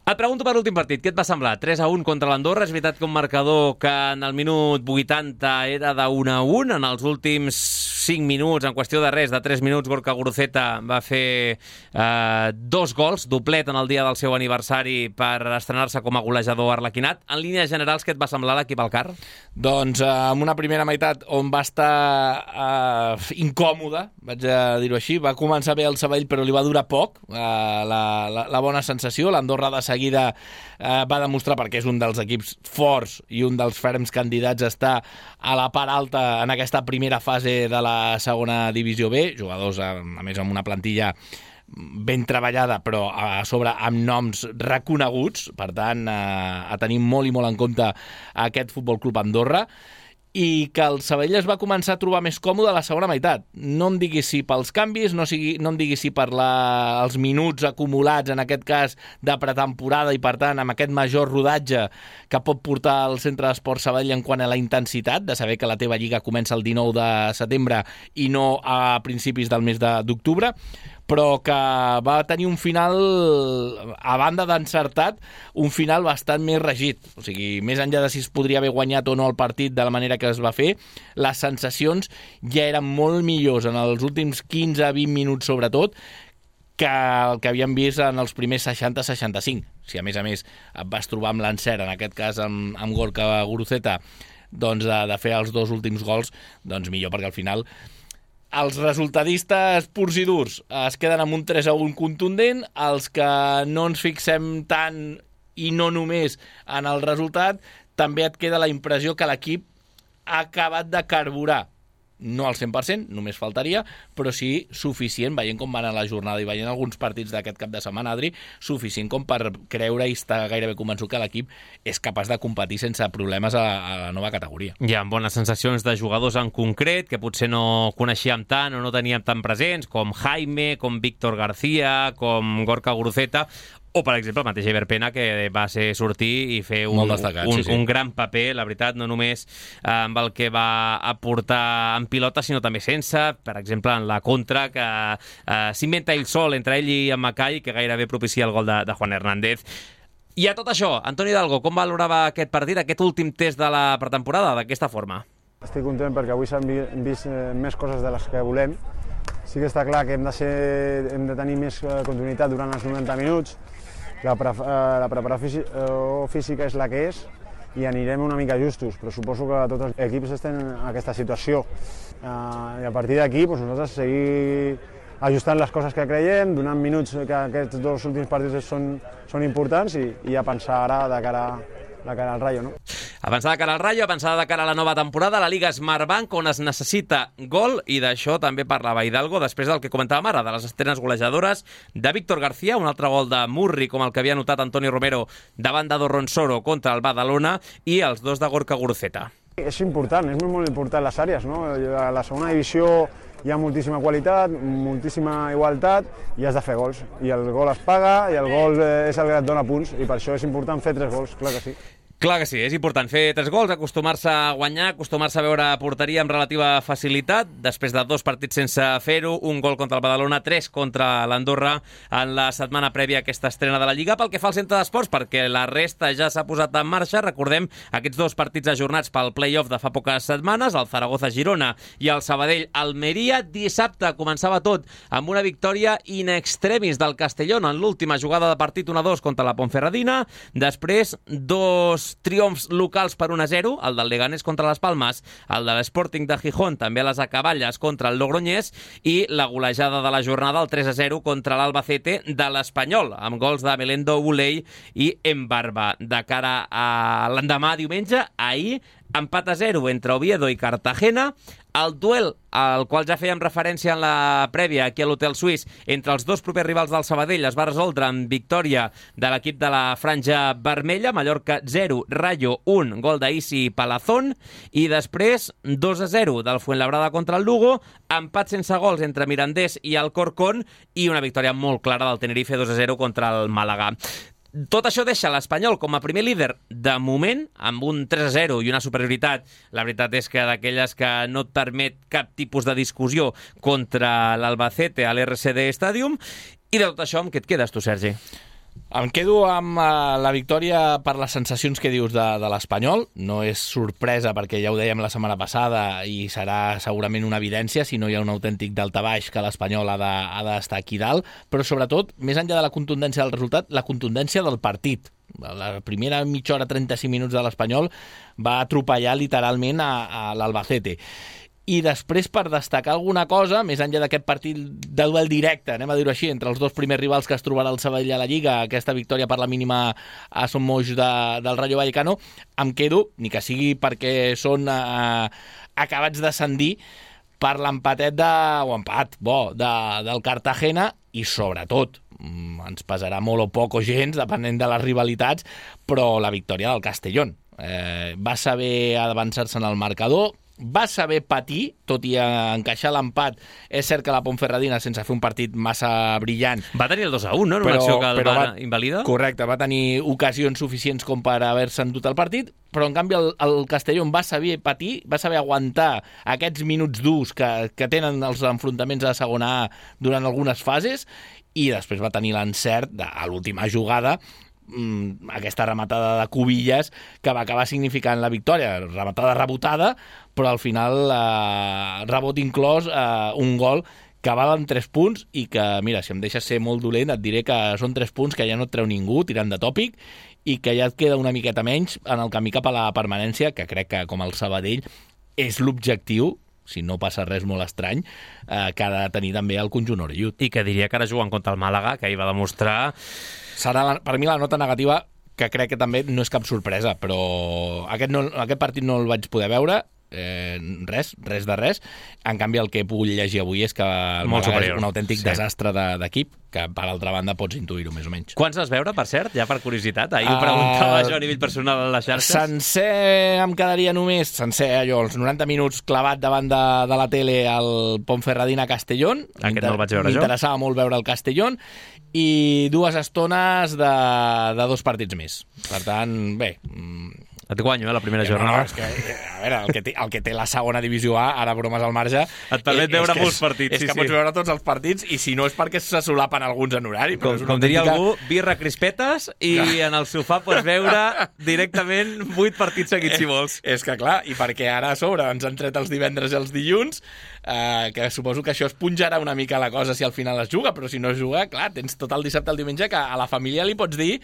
Et pregunto per l'últim partit, què et va semblar? tres a un contra l'Andorra, és veritat que un marcador que en el minut vuitanta era de un a un, en els últims cinc minuts, en qüestió de res, de tres minuts, Gorka Guruceta va fer eh, dos gols, doblet en el dia del seu aniversari per estrenar-se com a golejador arlequinat. En línies generals, què et va semblar l'equip al Car? Doncs eh, amb una primera meitat on va estar eh, incòmode, vaig a dir-ho així, va començar bé el Sabadell però li va durar poc eh, la, la, la bona sensació. L'Andorra de seguida eh, va demostrar, perquè és un dels equips forts i un dels ferms candidats a estar a la part alta en aquesta primera fase de la segona divisió B, jugadors a, a més amb una plantilla ben treballada però a sobre amb noms reconeguts, per tant eh, a tenir molt i molt en compte aquest Futbol Club Andorra, i que el Sabadell es va començar a trobar més còmode a la segona meitat. No em diguis si pels canvis, no, sigui, no em diguis si per la, els minuts acumulats, en aquest cas de pretemporada, i per tant amb aquest major rodatge que pot portar el Centre d'Esports Sabadell en quant a la intensitat, de saber que la teva lliga comença el dinou de setembre i no a principis del mes d'octubre, però que va tenir un final, a banda d'encertat, un final bastant més regit. O sigui, més enllà de si es podria haver guanyat o no el partit de la manera que es va fer, les sensacions ja eren molt millors en els últims quinze a vint minuts, sobretot, que el que havíem vist en els primers seixanta a seixanta-cinc. Si a més a més et vas trobar amb l'encert, en aquest cas amb, amb Gorka Guruceta, doncs de, de fer els dos últims gols, doncs millor, perquè al final els resultadistes purs i durs es queden amb un tres a un contundent, els que no ens fixem tant i no només en el resultat, també et queda la impressió que l'equip ha acabat de carburar. No al cent per cent, només faltaria, però sí suficient, veient com va anar la jornada i veient alguns partits d'aquest cap de setmana, Adri, suficient com per creure i estar gairebé convençut que l'equip és capaç de competir sense problemes a, a la nova categoria. Hi ha bones sensacions de jugadors en concret que potser no coneixíem tant o no teníem tan presents, com Jaime, com Víctor García, com Gorka Guruceta, o, per exemple, el mateix Ever Pena, que va ser sortir i fer un, destacat, un, sí, sí. un gran paper, la veritat, no només eh, amb el que va aportar en pilota, sinó també sense, per exemple, en la contra, que eh, s'inventa ell sol entre ell i en Macai, que gairebé propicia el gol de, de Juan Hernández. I a tot això, Antoni Hidalgo, com valorava aquest partit, aquest últim test de la pretemporada, d'aquesta forma? Estic content perquè avui s'han vist més coses de les que volem. Sí que està clar que hem de, ser, hem de tenir més continuïtat durant els novanta minuts. La, pre la preparació física és la que és i anirem una mica justos, però suposo que tots els equips estan en aquesta situació. Uh, I a partir d'aquí doncs nosaltres seguir ajustant les coses que creiem, donant minuts que aquests dos últims partits són, són importants i, i a pensar ara de cara a de cara al Rayo, no? Avançar de cara al Rayo, avançar de cara a la nova temporada, la Lliga Smartbank, on es necessita gol, i d'això també parlava Hidalgo, després del que comentàvem ara, de les estrenes golejadores de Víctor García, un altre gol de Murri, com el que havia notat Antonio Romero davant de Dorronsoro contra el Badalona, i els dos de Gorka Guruceta. És important, és molt important les àrees, no? A la segona divisió hi ha moltíssima qualitat, moltíssima igualtat i has de fer gols. I el gol es paga i el gol és el que et dona punts i per això és important fer tres gols, clar que sí. Clar que sí, és important fer tres gols, acostumar-se a guanyar, acostumar-se a veure porteria amb relativa facilitat, després de dos partits sense fer-ho, un gol contra el Badalona, tres contra l'Andorra en la setmana prèvia a aquesta estrena de la Lliga. Pel que fa al Centre d'Esports, perquè la resta ja s'ha posat en marxa, recordem aquests dos partits ajornats pel play-off de fa poques setmanes, el Zaragoza-Girona i el Sabadell-Almeria. Dissabte començava tot amb una victòria in extremis del Castellón en l'última jugada de partit, un a dos contra la Ponferradina, després dos dos triomfs locals per un a zero, el del Leganés contra les Palmes, el de l'Sporting de Gijón, també a les acaballes contra el Logroñés, i la golejada de la jornada, el tres a zero contra l'Albacete de l'Espanyol, amb gols de Melendo, Buley i Embarba. De cara a l'endemà diumenge, ahir, empat a zero entre Oviedo i Cartagena. El duel al qual ja fèiem referència en la prèvia aquí a l'Hotel Suís entre els dos propers rivals del Sabadell es va resoldre amb victòria de l'equip de la franja vermella. Mallorca zero, Rayo un, gol d'Isi Palazón, i després dos a zero del Fuenlabrada contra el Lugo, empat sense gols entre Mirandés i Alcorcón i una victòria molt clara del Tenerife dos a zero contra el Màlaga. Tot això deixa l'Espanyol com a primer líder de moment, amb un tres a zero i una superioritat. La veritat és que d'aquelles que no et permet cap tipus de discussió contra l'Albacete a l'R C D Stadium. I de tot això, amb què et quedes tu, Sergi? Em quedo amb uh, la victòria per les sensacions que dius de, de l'Espanyol. No és sorpresa perquè ja ho dèiem la setmana passada i serà segurament una evidència si no hi ha un autèntic daltabaix que l'Espanyol ha d'estar aquí dalt, però sobretot, més enllà de la contundència del resultat, la contundència del partit. La primera mitja hora, trenta-cinc minuts de l'Espanyol va atropellar literalment a, a l'Albacete. I després, per destacar alguna cosa, més enllà d'aquest partit de duel directe, anem a dir-ho així, entre els dos primers rivals que es trobarà el Sabadell a la Lliga, aquesta victòria per la mínima a Son Moix de, del Rayo Vallecano, em quedo, ni que sigui perquè són eh, acabats d'ascendir, per l'empatet de, o empat, bo, de, del Cartagena, i sobretot, ens pesarà molt o poc o gens, depenent de les rivalitats, però la victòria del Castellón. Eh, va saber avançar-se en el marcador, va saber patir, tot i encaixar l'empat. És cert que la Ponferradina, sense fer un partit massa brillant... Va tenir el dos a un, no? En una acció que el va invalida? Correcte, va tenir ocasions suficients com per haver-se endut el partit, però en canvi el, el Castellón va saber patir, va saber aguantar aquests minuts durs que, que tenen els enfrontaments a la segona A durant algunes fases, i després va tenir l'encert de, a l'última jugada, aquesta rematada de Cubillas que va acabar significant la victòria, rematada rebotada, però al final eh, rebot inclòs, eh, un gol que valen tres punts i que, mira, si em deixes ser molt dolent et diré que són tres punts que ja no et treu ningú tirant de tòpic i que ja et queda una miqueta menys en el camí cap a la permanència, que crec que com el Sabadell és l'objectiu, si no passa res molt estrany, eh, que ha de tenir també el conjunt orellut. I que diria que ara jugant contra el Màlaga, que hi va demostrar... Serà, la, per mi, la nota negativa, que crec que també no és cap sorpresa, però aquest, no, aquest partit no el vaig poder veure, eh, res, res de res. En canvi, el que he pogut llegir avui és que el molt Màlaga superior. És un autèntic Sí. desastre de, d'equip, que per altra banda pots intuir-ho més o menys. Quants vas veure, per cert? Ja per curiositat. Ahir ho preguntava Uh, jo a nivell personal a les xarxes. Sencer em quedaria només, sencer allò, els noranta minuts clavat davant de, de la tele al Ponferradina-Castellón. Aquest no el vaig veure jo. M'interessava molt veure el Castellón, i dues estones de, de dos partits més. Per tant, bé... Et guanyo, eh, la primera No, jornada. no, és que, a veure, el que, té, el que té la segona divisió A, ara bromes al marge... Et permet eh, veure és que molts és, partits, És sí, que sí. pots veure tots els partits, i si no és perquè se solapen alguns en horari. Però Com, és una com diria autèntica- algú, birra crispetes i en el sofà pots veure directament vuit partits seguits, si vols. És que clar, i perquè ara a sobre ens han tret els divendres i els dilluns, eh, que suposo que això es punjarà una mica la cosa si al final es juga, però si no es juga, clar, tens tot el dissabte al diumenge que a la família li pots dir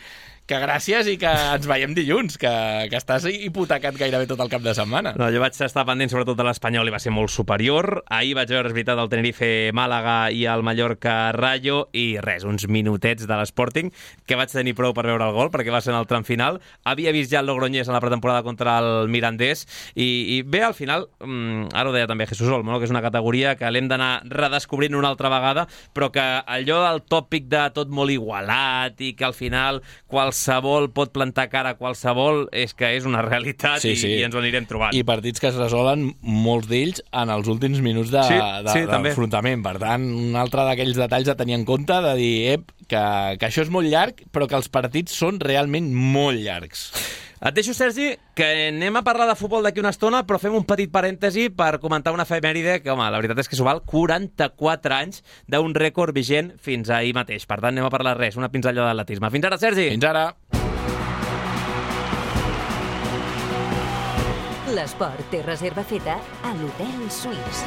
que gràcies i que ens veiem dilluns, que, que estàs hipotecat gairebé tot el cap de setmana. No, jo vaig estar pendent sobretot de l'Espanyol i va ser molt superior. Ahir vaig veure, és veritat, el Tenerife Màlaga i el Mallorca Rayo, i res, uns minutets de l'Sporting, que vaig tenir prou per veure el gol, perquè va ser en el tram final. Havia vist ja el Logroñés en la pretemporada contra el Mirandés, i, i bé, al final, mmm, ara ho deia també Jesús Olmo, no? Que és una categoria que l'hem d'anar redescobrint una altra vegada, però que allò del tòpic de tot molt igualat i que al final qualsevol pot plantar cara a qualsevol, és que és una realitat, Sí, i, sí. i ens ho anirem trobant. I partits que es resolen, molts d'ells, en els últims minuts de, Sí, de, sí, també. d'enfrontament. Per tant, un altre d'aquells detalls a tenir en compte, de dir, ep, que, que això és molt llarg, però que els partits són realment molt llargs. Et deixo, Sergi, que anem a parlar de futbol d'aquí una estona, però fem un petit parèntesi per comentar una efemèride que, home, la veritat és que s'ho val, quaranta-quatre anys d'un rècord vigent fins ahir mateix. Per tant, anem a parlar res, una pinzellada d'atletisme. Fins ara, Sergi! Fins ara! L'esport té reserva feta a l'Hotel Suís.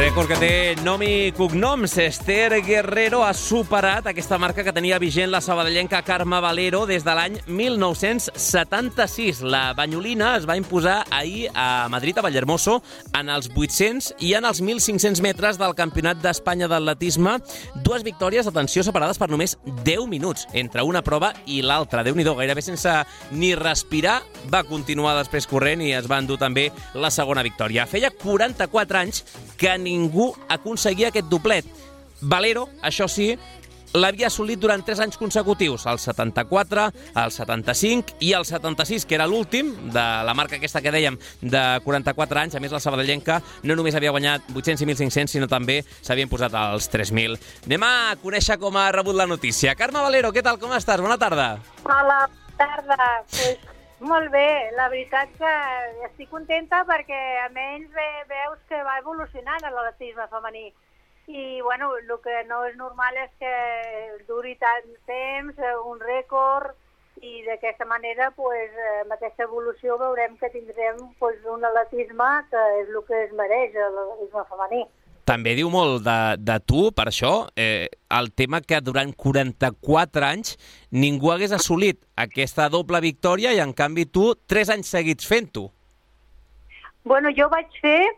Rècord que té nom i cognoms. Esther Guerrero ha superat aquesta marca que tenia vigent la sabadellenca Carme Valero des de l'any mil nou-cents setanta-sis. La banyolina es va imposar ahir a Madrid, a Vallehermoso, en els vuit-cents i en els mil cinc-cents metres del Campionat d'Espanya d'atletisme. Dues victòries, atenció, separades per només deu minuts entre una prova i l'altra. Déu-n'hi-do, gairebé sense ni respirar, va continuar després corrent i es va endur també la segona victòria. Feia quaranta-quatre anys que ningú aconseguia aquest doblet. Valero, això sí, l'havia assolit durant tres anys consecutius, el setanta-quatre, el setanta-cinc i el setanta-sis, que era l'últim de la marca aquesta que dèiem de quaranta-quatre anys. A més, la sabadellenca no només havia guanyat vuit-cents i mil cinc-cents, sinó també s'havia imposat als tres mil. Anem a conèixer com ha rebut la notícia. Carme Valero, què tal, com estàs? Bona tarda. Hola, bona tarda. Pues, molt bé, la veritat que estic contenta perquè almenys ve, veus que va evolucionant l'atletisme femení. I, bueno, el que no és normal és que duri tant temps, un rècord, i d'aquesta manera, pues, amb aquesta evolució, veurem que tindrem pues, un atletisme que és el que es mereix, l'atletisme femení. També diu molt de, de tu, per això, eh, el tema que durant quaranta-quatre anys ningú hagués assolit aquesta doble victòria i, en canvi, tu, tres anys seguits fent-ho. Bueno, jo vaig fer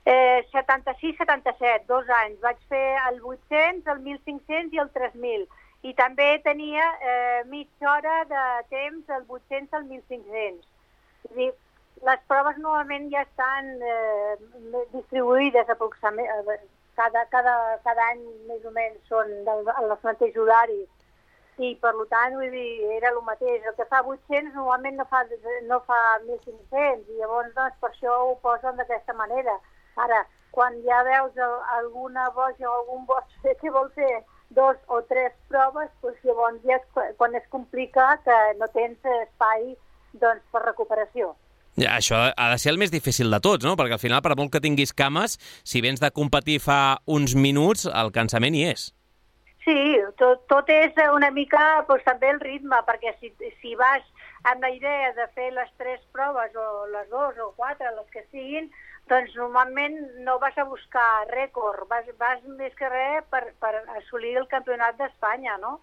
eh, setanta-sis setanta-set, dos anys. Vaig fer el vuit-cents, el mil cinc-cents i el tres mil. I també tenia eh, mitja hora de temps el vuit-cents al mil cinc-cents. És a dir, les proves normalment ja estan eh, distribuïdes aproximadament. Cada, cada, cada any més o menys són del, els mateixos horaris. I per tant, vull dir, era el mateix. El que fa vuit-cents normalment no fa, no fa mil cinc-cents i llavors doncs, per això ho posen d'aquesta manera. Ara, quan ja veus alguna boja o algun boig que vol fer dos o tres proves, doncs llavors ja és quan es complica que no tens espai doncs, per recuperació. Ja, això ha de ser el més difícil de tots, no? Perquè al final, per molt que tinguis cames, si vens de competir fa uns minuts, el cansament hi és. Sí, tot, tot és una mica doncs, també el ritme, perquè si, si vas amb la idea de fer les tres proves, o les dues o quatre, les que siguin, doncs normalment no vas a buscar rècord, vas, vas més que res per, per assolir el campionat d'Espanya, no?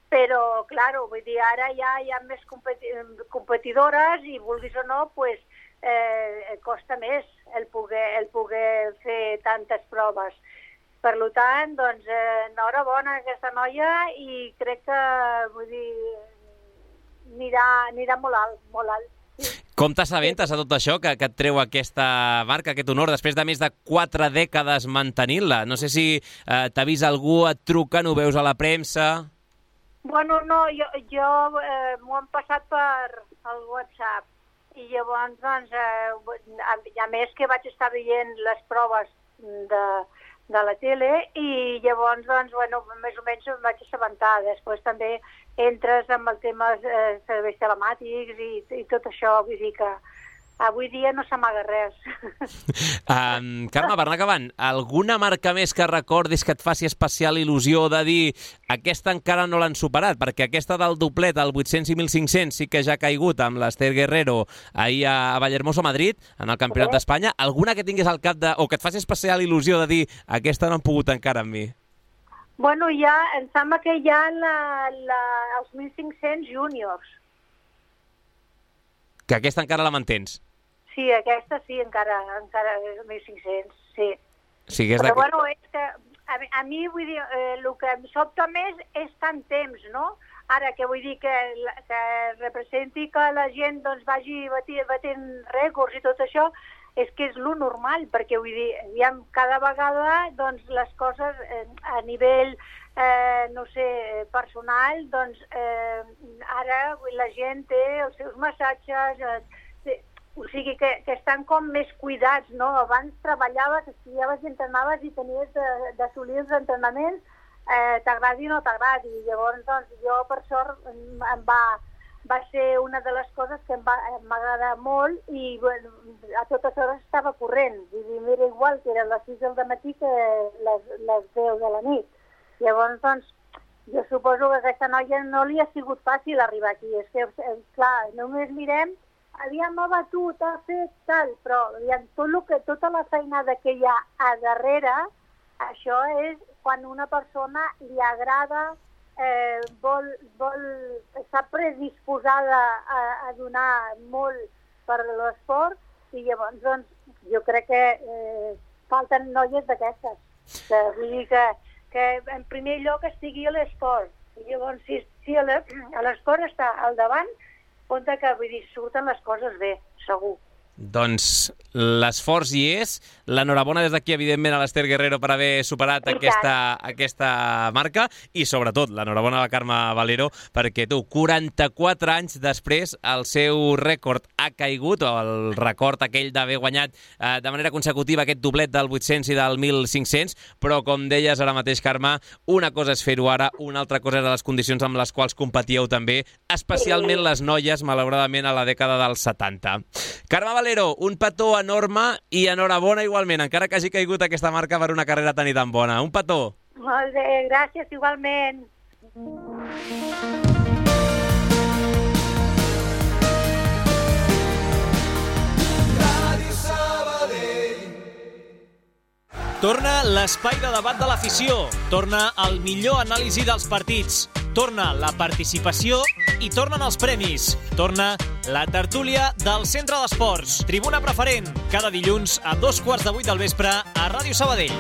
Però, clar, vull dir, ara ja hi ha més competi competidores i, vulguis o no, pues, eh, costa més el poder, el poder fer tantes proves. Per tant, doncs, eh, enhorabona a aquesta noia i crec que, vull dir, anirà, anirà molt alt, molt alt. Sí. Com t'assabentes a tot això que, que et treu aquesta marca, aquest honor, després de més de quatre dècades mantenint-la? No sé si eh, t'avisa algú, et truquen, ho veus a la premsa... Bueno, no, jo, jo eh, m'ho han passat per el WhatsApp i llavors, doncs, eh, a, a més que vaig estar veient les proves de, de la tele i llavors, doncs, bueno, més o menys em vaig assabentar. Després també entres amb el tema eh, serveis telemàtics i, i tot això, vull dir que avui dia no s'amaga res. Um, Carme, per anar acabant, alguna marca més que recordis que et faci especial il·lusió de dir aquesta encara no l'han superat? Perquè aquesta del doblet, el vuit-cents i mil cinc-cents, sí que ja ha caigut amb l'Esther Guerrero ahir a Vallehermoso, Madrid, en el Campionat d'Espanya. Alguna que tinguis al cap de, o que et faci especial il·lusió de dir aquesta no han pogut encara amb mi? Bueno, ja, em sembla que hi ha la, la, els mil cinc-cents júniors. Que aquesta encara la mantens? Sí, aquesta sí, encara, encara és mil cinc-cents, sí. sí que és Però, bueno, és que a, a mi, vull dir, eh, el que em sobta més és tant temps, no? Ara, que vull dir que, que representi que la gent doncs, vagi batent, batent rècords i tot això, és que és lo normal, perquè vull dir, ja cada vegada doncs, les coses eh, a nivell, eh, no sé, personal, doncs eh, ara la gent té els seus massatges, eh, o sigui que, que estan com més cuidats, no? Abans treballaves, estudiaves i entrenaves i tenies d'assolir els entrenaments, eh, t'agradi o no t'agradi. Llavors, doncs, jo per sort em va... va ser una de les coses que em va agradar molt i bueno, a totes hores estava corrent. Vull dir, mira, igual que eren les sis del matí que les, les deu de la nit. Llavors, doncs, jo suposo que a aquesta noia no li ha sigut fàcil arribar aquí. És que, clar, només mirem havíem abatut, ha fet tal, però aviam, tot lo que, tota la feinada que hi ha a darrere, això és quan una persona li agrada, eh, vol, vol, està predisposada a, a donar molt per l'esport, i llavors doncs, jo crec que eh, falten noies d'aquestes. Que, vull dir que, que en primer lloc estigui a l'esport. I llavors, si, si a l'esport està al davant, compte que, vull dir, surten les coses bé, segur. Doncs l'esforç hi és. L'enhorabona des d'aquí, evidentment, a l'Ester Guerrero per haver superat aquesta, aquesta marca i, sobretot, l'enhorabona a la Carme Valero perquè tu, quaranta-quatre anys després, el seu rècord ha caigut, o el record aquell d'haver guanyat eh, de manera consecutiva aquest doblet del vuit-cents i del mil cinc-cents, però, com deies ara mateix, Carme, una cosa és fer-ho ara, una altra cosa és les condicions amb les quals competíeu també, especialment les noies, malauradament, a la dècada dels setanta. Carme Valero, un petó enorme i enhorabona igualment, encara que hagi caigut aquesta marca per una carrera tan i tan bona. Un petó. Molt bé, gràcies igualment. Torna l'espai de debat de l'afició, torna el millor anàlisi dels partits, torna la participació i tornen els premis, torna la tertúlia del Centre d'Esports, Tribuna Preferent, cada dilluns a dos quarts de vuit del vespre a Ràdio Sabadell.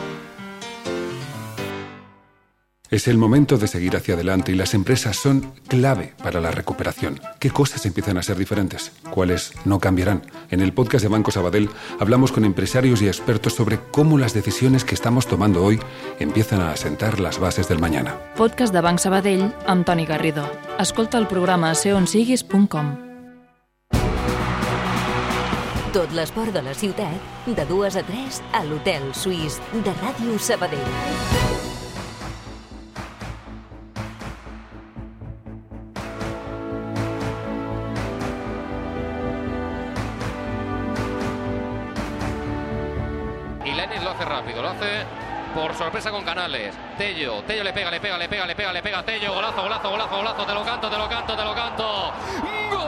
Es el momento de seguir hacia adelante y las empresas son clave para la recuperación. ¿Qué cosas empiezan a ser diferentes? ¿Cuáles no cambiarán? En el podcast de Banco Sabadell hablamos con empresarios y expertos sobre cómo las decisiones que estamos tomando hoy empiezan a asentar las bases del mañana. Podcast de Banc Sabadell amb Toni Garrido. Escolta el programa a seonsiguis punt com. Tot l'esport de la ciutat, de dues a tres, a l'Hotel Suís de Ràdio Sabadell. Rápido, lo hace por sorpresa con Canales. Tello, Tello le pega, le pega, le pega, le pega, le pega a Tello. Golazo, golazo, golazo, golazo. Te lo canto, te lo canto, te lo canto. ¡Gol!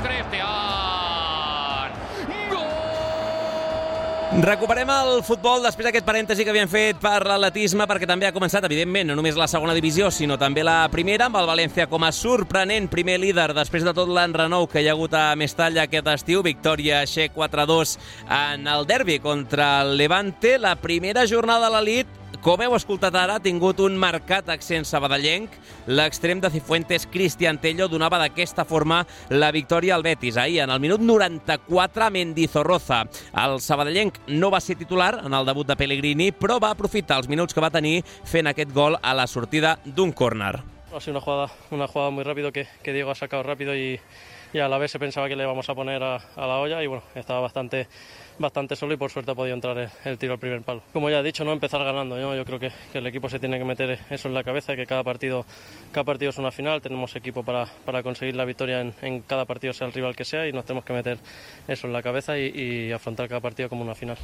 Cristian. Recuperem el futbol després d'aquest parèntesi que havíem fet per l'atletisme, perquè també ha començat, evidentment, no només la segona divisió, sinó també la primera, amb el València com a sorprenent primer líder després de tot l'enrenou que hi ha hagut a Mestalla aquest estiu. Victòria Xe quatre a dos en el derbi contra el Levante. La primera jornada de l'elit, com heu escoltat ara, ha tingut un marcat accent sabadellenc. L'extrem de Cifuentes, Cristian Tello, donava d'aquesta forma la victòria al Betis. Ahir, en el minut noranta-quatre, Mendizorroza. El sabadellenc no va ser titular en el debut de Pellegrini, però va aprofitar els minuts que va tenir fent aquest gol a la sortida d'un córner. Ha sido una jugada, una jugada muy rápido que, que Diego ha sacado rápido y, y a la vez se pensaba que le íbamos a poner a, a la olla y bueno, estaba bastante... bastante solo y por suerte ha podido entrar el, el tiro al primer palo. Como ya he dicho, no empezar ganando, ¿no? Yo creo que, que el equipo se tiene que meter eso en la cabeza, que cada partido, cada partido es una final, tenemos equipo para, para conseguir la victoria en, en cada partido, sea el rival que sea, y nos tenemos que meter eso en la cabeza y, y afrontar cada partido como una final.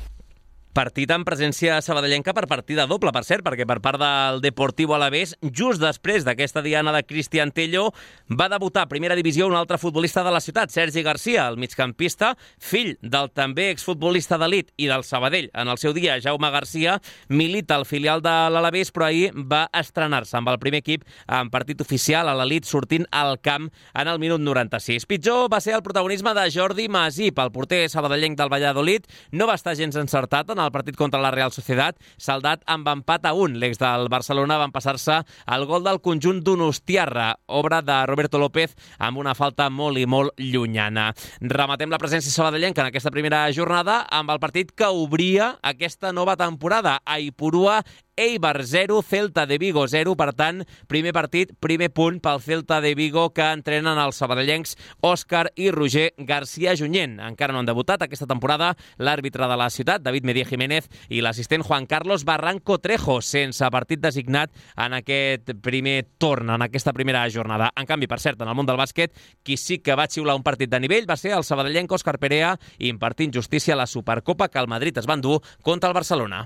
Partit amb presència sabadellenca per partida doble, per cert, perquè per part del Deportivo Alavés, just després d'aquesta diana de Cristian Tello, va debutar a primera divisió un altre futbolista de la ciutat, Sergi Garcia, el migcampista, fill del també exfutbolista d'elit i del Sabadell. En el seu dia, Jaume Garcia milita al filial de l'Alavés, però ahir va estrenar-se amb el primer equip en partit oficial a l'elit, sortint al camp en el minut noranta-sis. Pitjor va ser el protagonisme de Jordi Masip, el porter sabadellenc del Valladolid. No va estar gens encertat en el partit contra la Real Sociedad, saldat amb empat a un. L'ex del Barcelona va empassar-se el gol del conjunt donostiarra, obra de Roberto López, amb una falta molt i molt llunyana. Rematem la presència sabadellenca en aquesta primera jornada amb el partit que obria aquesta nova temporada. Aipurua Eibar zero, Celta de Vigo zero. Per tant, primer partit, primer punt pel Celta de Vigo, que entrenen els sabadellencs Òscar i Roger García Junyent. Encara no han debutat aquesta temporada l'àrbitre de la ciutat, David Medía Jiménez, i l'assistent Juan Carlos Barranco Trejo, sense partit designat en aquest primer torn, en aquesta primera jornada. En canvi, per cert, en el món del bàsquet, qui sí que va xiular un partit de nivell va ser el sabadellenc Òscar Perea, impartint justícia a la Supercopa que el Madrid es va endur contra el Barcelona.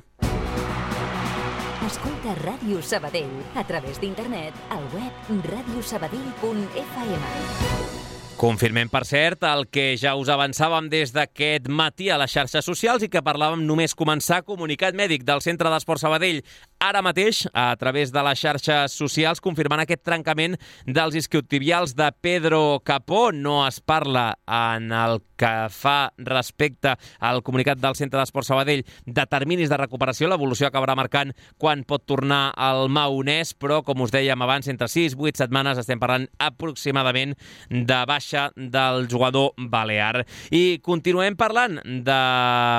Escolta Ràdio Sabadell a través d'internet al web radio sabadell punt f m. Confirmem, per cert, el que ja us avançàvem des d'aquest matí a les xarxes socials i que parlàvem només començar. Comunicat mèdic del Centre d'Esport Sabadell ara mateix, a través de les xarxes socials, confirmant aquest trencament dels isquiotibials de Pedro Capó. No es parla en el que fa respecte al comunicat del Centre d'Esport Sabadell de terminis de recuperació. L'evolució acabarà marcant quan pot tornar al maonès, però, com us dèiem abans, entre sis i vuit setmanes estem parlant aproximadament de baixa del jugador balear. I continuem parlant de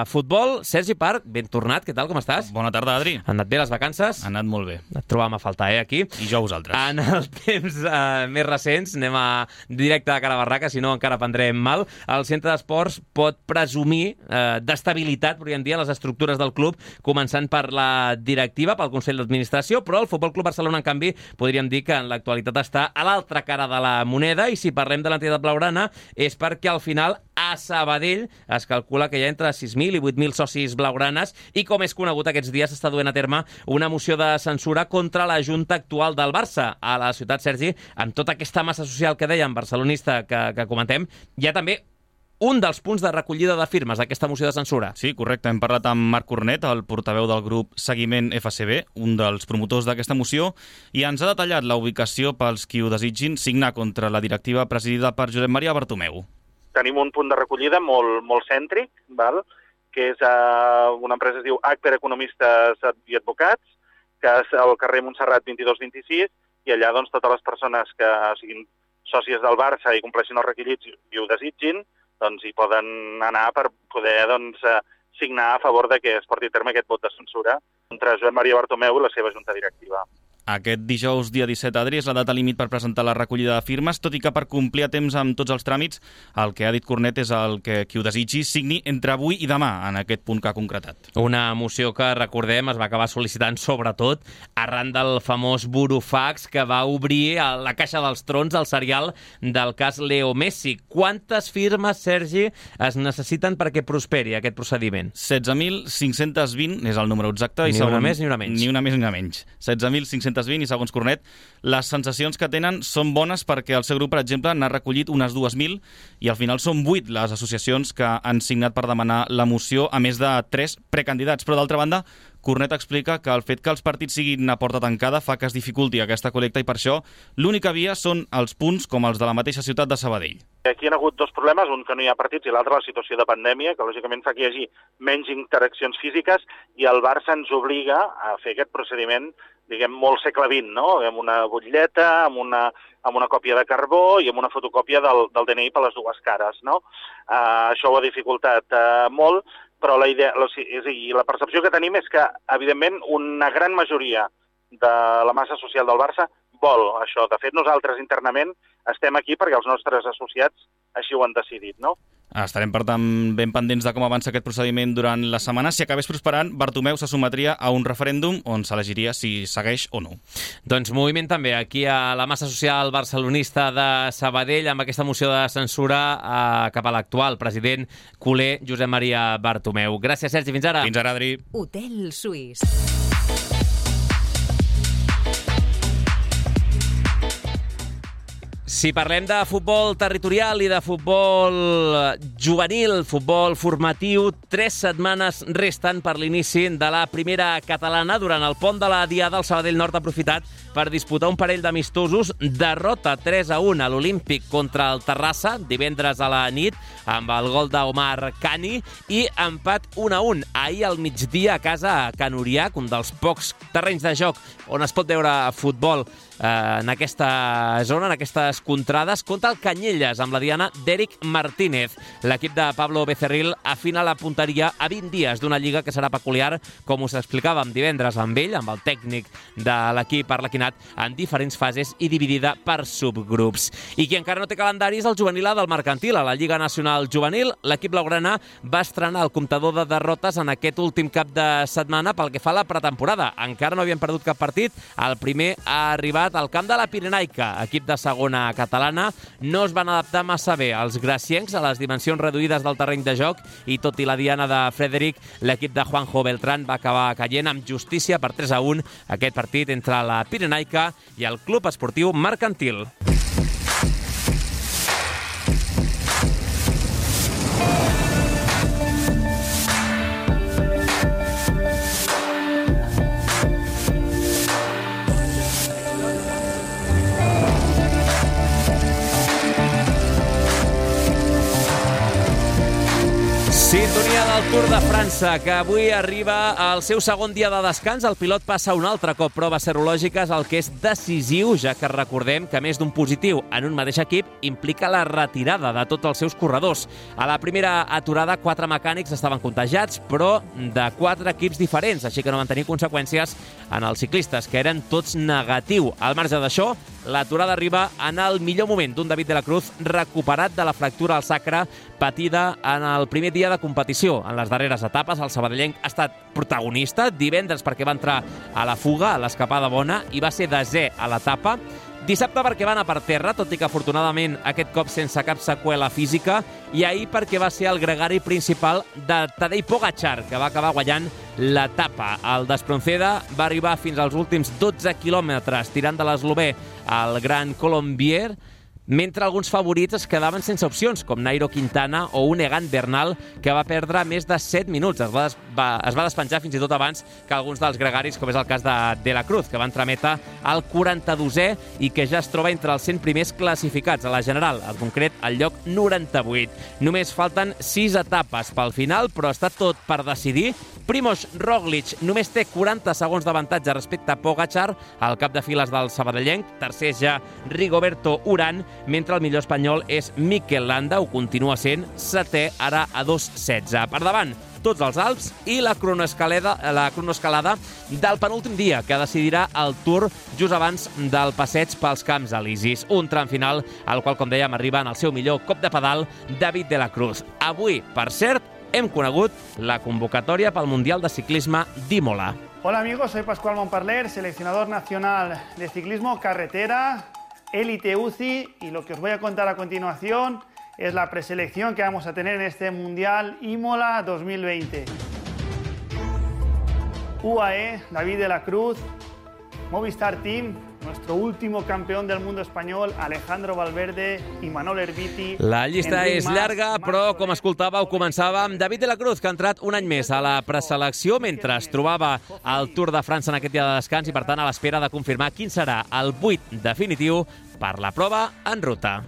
futbol. Sergi Parc, ben tornat, què tal, com estàs? Bona tarda, Adri. Han anat bé les vacances? Han anat molt bé. Et trobàvem a faltar, eh, aquí. I jo a vosaltres. En els temps eh, més recents, anem a directe de cara a barraca, si no encara prendrem mal, el Centre d'Esports pot presumir eh, d'estabilitat, podríem dir, a les estructures del club, començant per la directiva, pel Consell d'Administració, però el Futbol Club Barcelona, en canvi, podríem dir que en l'actualitat està a l'altra cara de la moneda, i si parlem de l'entitat blaugrana és perquè al final a Sabadell es calcula que hi ha entre sis mil i vuit mil socis blaugranes i, com és conegut, aquests dies s'està duent a terme una moció de censura contra la junta actual del Barça a la ciutat. Sergi, amb tota aquesta massa social que dèiem, barcelonista, que, que comentem, hi ha també un dels punts de recollida de firmes d'aquesta moció de censura. Sí, correcte. Hem parlat amb Marc Cornet, el portaveu del grup Seguiment F C B, un dels promotors d'aquesta moció, i ens ha detallat la ubicació pels qui ho desitgin signar contra la directiva presidida per Josep Maria Bartomeu. Tenim un punt de recollida molt, molt cèntric, val? Que és uh, una empresa que es diu Acper Economistes i Advocats, que és al carrer Montserrat vint-i-dos vint-i-sis, i allà doncs, totes les persones que siguin sòcies del Barça i compleixin els requisits i ho desitgin, doncs hi poden anar per poder doncs, signar a favor de que es porti a terme aquest vot de censura contra Josep Maria Bartomeu i la seva junta directiva. Aquest dijous, dia disset, Adri, és la data límit per presentar la recollida de firmes, tot i que per complir a temps amb tots els tràmits, el que ha dit Cornet és el que qui ho desitgi signi entre avui i demà en aquest punt que ha concretat. Una moció que, recordem, es va acabar sol·licitant sobretot arran del famós burofax que va obrir a la caixa dels trons al serial del cas Leo Messi. Quantes firmes, Sergi, es necessiten perquè prosperi aquest procediment? setze mil cinc-cents vint és el número exacte. Ni i segons... una més ni una menys. Ni una més ni una menys. setze mil cinc-cents vint i, segons Cornet, les sensacions que tenen són bones perquè el seu grup, per exemple, n'ha recollit unes dues mil i al final són vuit les associacions que han signat per demanar la moció, a més de tres precandidats. Però, d'altra banda, Cornet explica que el fet que els partits siguin a porta tancada fa que es dificulti aquesta col·lecta i per això l'única via són els punts com els de la mateixa ciutat de Sabadell. Aquí hi ha hagut dos problemes, un que no hi ha partits i l'altre la situació de pandèmia, que lògicament fa que hi hagi menys interaccions físiques i el Barça ens obliga a fer aquest procediment, diguem, molt segle vint, no? Amb una butlleta, amb una, amb una còpia de carbó i amb una fotocòpia del, del D N I per les dues cares, no? Uh, això ho ha dificultat uh, molt, però la idea, la, és a dir, la percepció que tenim és que, evidentment, una gran majoria de la massa social del Barça vol això. De fet, nosaltres internament estem aquí perquè els nostres associats així ho han decidit, no? Estarem, per tant, ben pendents de com avança aquest procediment durant la setmana. Si acabés prosperant, Bartomeu se sotmetria a un referèndum on s'elegiria si segueix o no. Doncs moviment també aquí a la massa social barcelonista de Sabadell amb aquesta moció de censura eh, cap a l'actual president culer Josep Maria Bartomeu. Gràcies, Sergi. Fins ara. Fins ara, Adri. Hotel Suís. Si parlem de futbol territorial i de futbol juvenil, futbol formatiu, tres setmanes resten per l'inici de la primera catalana. Durant el pont de la Diada, el Sabadell Nord ha aprofitat per disputar un parell d'amistosos. Derrota tres a un a l'Olímpic contra el Terrassa, divendres a la nit, amb el gol d'Omar Cani, i empat un a un ahir al migdia a casa a Can Uriac, un dels pocs terrenys de joc on es pot veure futbol eh, en aquesta zona, en aquestes contrades, contra el Canyelles, amb la diana d'Eric Martínez. L'equip de Pablo Becerril afina la punteria a vint dies d'una lliga que serà peculiar, com us explicàvem divendres amb ell, amb el tècnic de l'equip arlequinat, en diferents fases i dividida per subgrups. I qui encara no té calendari és el juvenil A del Mercantil. A la Lliga Nacional Juvenil, l'equip blaugrana va estrenar el comptador de derrotes en aquest últim cap de setmana pel que fa a la pretemporada. Encara no havien perdut cap partit. El primer ha arribat al camp de la Pirenaica, equip de segona catalana no es van adaptar massa bé als graciencs a les dimensions reduïdes del terreny de joc i tot i la diana de Frederic, l'equip de Juanjo Beltrán va acabar caient amb justícia per tres a un aquest partit entre la Pirenaica i el Club Esportiu Mercantil. Sintonia del Tour de França, que avui arriba al seu segon dia de descans. El pilot passa un altre cop proves serològiques, el que és decisiu, ja que recordem que més d'un positiu en un mateix equip implica la retirada de tots els seus corredors. A la primera aturada, quatre mecànics estaven contagiats, però de quatre equips diferents, així que no van tenir conseqüències en els ciclistes, que eren tots negatiu. Al marge d'això, l'aturada arriba en el millor moment d'un David de la Cruz recuperat de la fractura al sacre patida en el primer dia de competició. En les darreres etapes, el sabadellenc ha estat protagonista divendres perquè va entrar a la fuga, a l'escapada bona, i va ser desè a l'etapa. Dissabte perquè va anar per terra, tot i que afortunadament aquest cop sense cap seqüela física, i ahir perquè va ser el gregari principal de Tadej Pogačar, que va acabar guanyant l'etapa. El d'Espronceda va arribar fins als últims dotze quilòmetres tirant de l'eslovè al Gran Colombier, mentre alguns favorits es quedaven sense opcions, com Nairo Quintana o un Egan Bernal, que va perdre més de set minuts. Es va, des va, es va despenjar fins i tot abans que alguns dels gregaris, com és el cas de De la Cruz, que va entremetre al quaranta-dosè i que ja es troba entre els cent primers classificats a la general, en concret al lloc noranta-vuit. Només falten sis etapes pel final, però està tot per decidir. Primož Roglic només té quaranta segons d'avantatge respecte a Pogačar, al cap de files del sabadellenc. Tercer ja Rigoberto Urán, mentre el millor espanyol és Mikel Landa, ho continua sent, setè, ara a dos setze. Per davant, tots els Alps i la cronoescalada, la cronoescalada del penúltim dia, que decidirà el Tour just abans del passeig pels Camps Elisis. Un tram final al qual, com dèiem, arriba en el seu millor cop de pedal David de la Cruz. Avui, per cert, hem conegut la convocatòria pel Mundial de Ciclisme d'Imola. Hola amigos, soy Pascual Montparler, seleccionador nacional de ciclismo carretera, Elite U C I, y lo que os voy a contar a continuación es la preselección que vamos a tener en este Mundial Imola dos mil veinte. U A E, David de la Cruz, Movistar Team, nuestro último campeón del mundo español, Alejandro Valverde i Manol Herbiti. La llista és llarga, però com escoltàveu, començàvem David de la Cruz, que ha entrat un any més a la preselecció mentre es trobava al Tour de França en aquest dia de descans i, per tant, a l'espera de confirmar quin serà el vuit definitiu per la prova en ruta.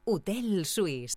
Hotel Suís.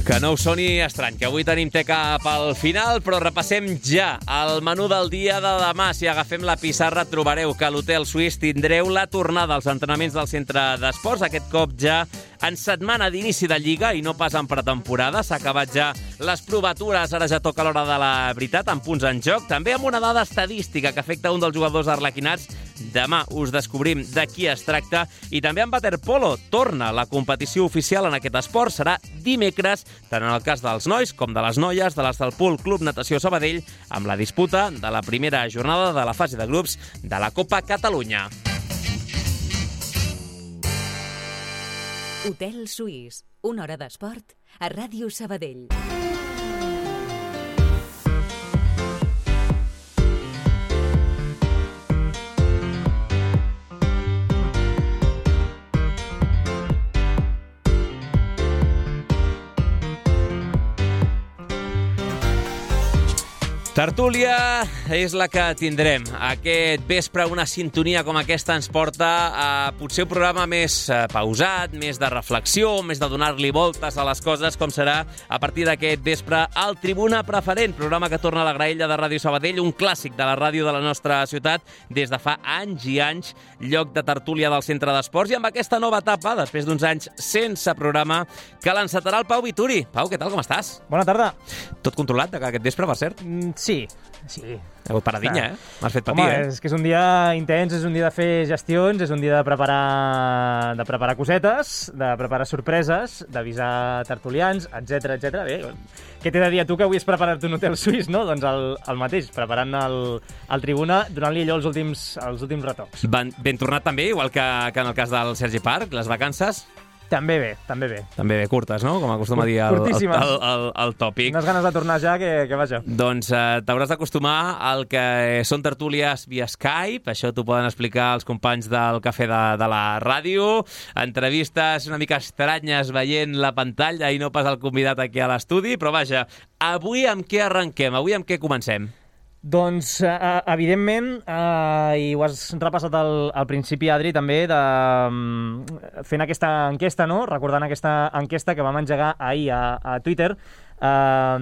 Que no us soni estrany, que avui tenim teca pel final, però repassem ja el menú del dia de demà. Si agafem la pissarra trobareu que a l'Hotel Suís tindreu la tornada als entrenaments del centre d'esports, aquest cop ja en setmana d'inici de Lliga i no pas en pretemporada. S'ha acabat ja les provatures, ara ja toca l'hora de la veritat, amb punts en joc. També amb una dada estadística que afecta un dels jugadors arlequinats. Demà us descobrim de qui es tracta. I també en waterpolo torna la competició oficial en aquest esport. Serà dimecres, tant en el cas dels nois com de les noies de l'Estalpul Club Natació Sabadell, amb la disputa de la primera jornada de la fase de grups de la Copa Catalunya. Hotel Suís, una hora d'esport a Ràdio Sabadell. Tertúlia és la que tindrem. Aquest vespre una sintonia com aquesta ens porta a potser un programa més pausat, més de reflexió, més de donar-li voltes a les coses, com serà a partir d'aquest vespre el Tribuna Preferent, programa que torna a la graella de Ràdio Sabadell, un clàssic de la ràdio de la nostra ciutat des de fa anys i anys, lloc de tertúlia del centre d'esports, i amb aquesta nova etapa, després d'uns anys sense programa, que l'encetarà el Pau Vituri. Pau, què tal, com estàs? Bona tarda. Tot controlat d'aquest vespre, per cert? Sí, sí. Ha hagut paradinya, eh? M'has fet patir, Home, eh? és que és un dia intens, és un dia de fer gestions, és un dia de preparar, de preparar cosetes, de preparar sorpreses, d'avisar tertulians, etcètera, etcètera. Bé, què t'he de dir a tu que avui és preparar-te un hotel suís, no? Doncs el, el mateix, preparant el, el Tribuna, donant-li allò els últims, els últims retocs. Ben, ben tornat també, igual que, que en el cas del Sergi Parc, les vacances... També bé, també bé. També bé, curtes, no? Com acostuma a dir el, el, el, el, el tòpic. Unes ganes de tornar ja que, que vaja. Doncs eh, t'hauràs d'acostumar al que són tertúlies via Skype. Això t'ho poden explicar els companys del Cafè de, de la ràdio. Entrevistes una mica estranyes veient la pantalla i no pas el convidat aquí a l'estudi. Però vaja, avui amb què arrenquem? Avui amb què comencem? Doncs, eh, evidentment, eh, i ho has repassat al, al principi, Adri, també, de, fent aquesta enquesta, no? Recordant aquesta enquesta que vam engegar ahir a, a Twitter, eh,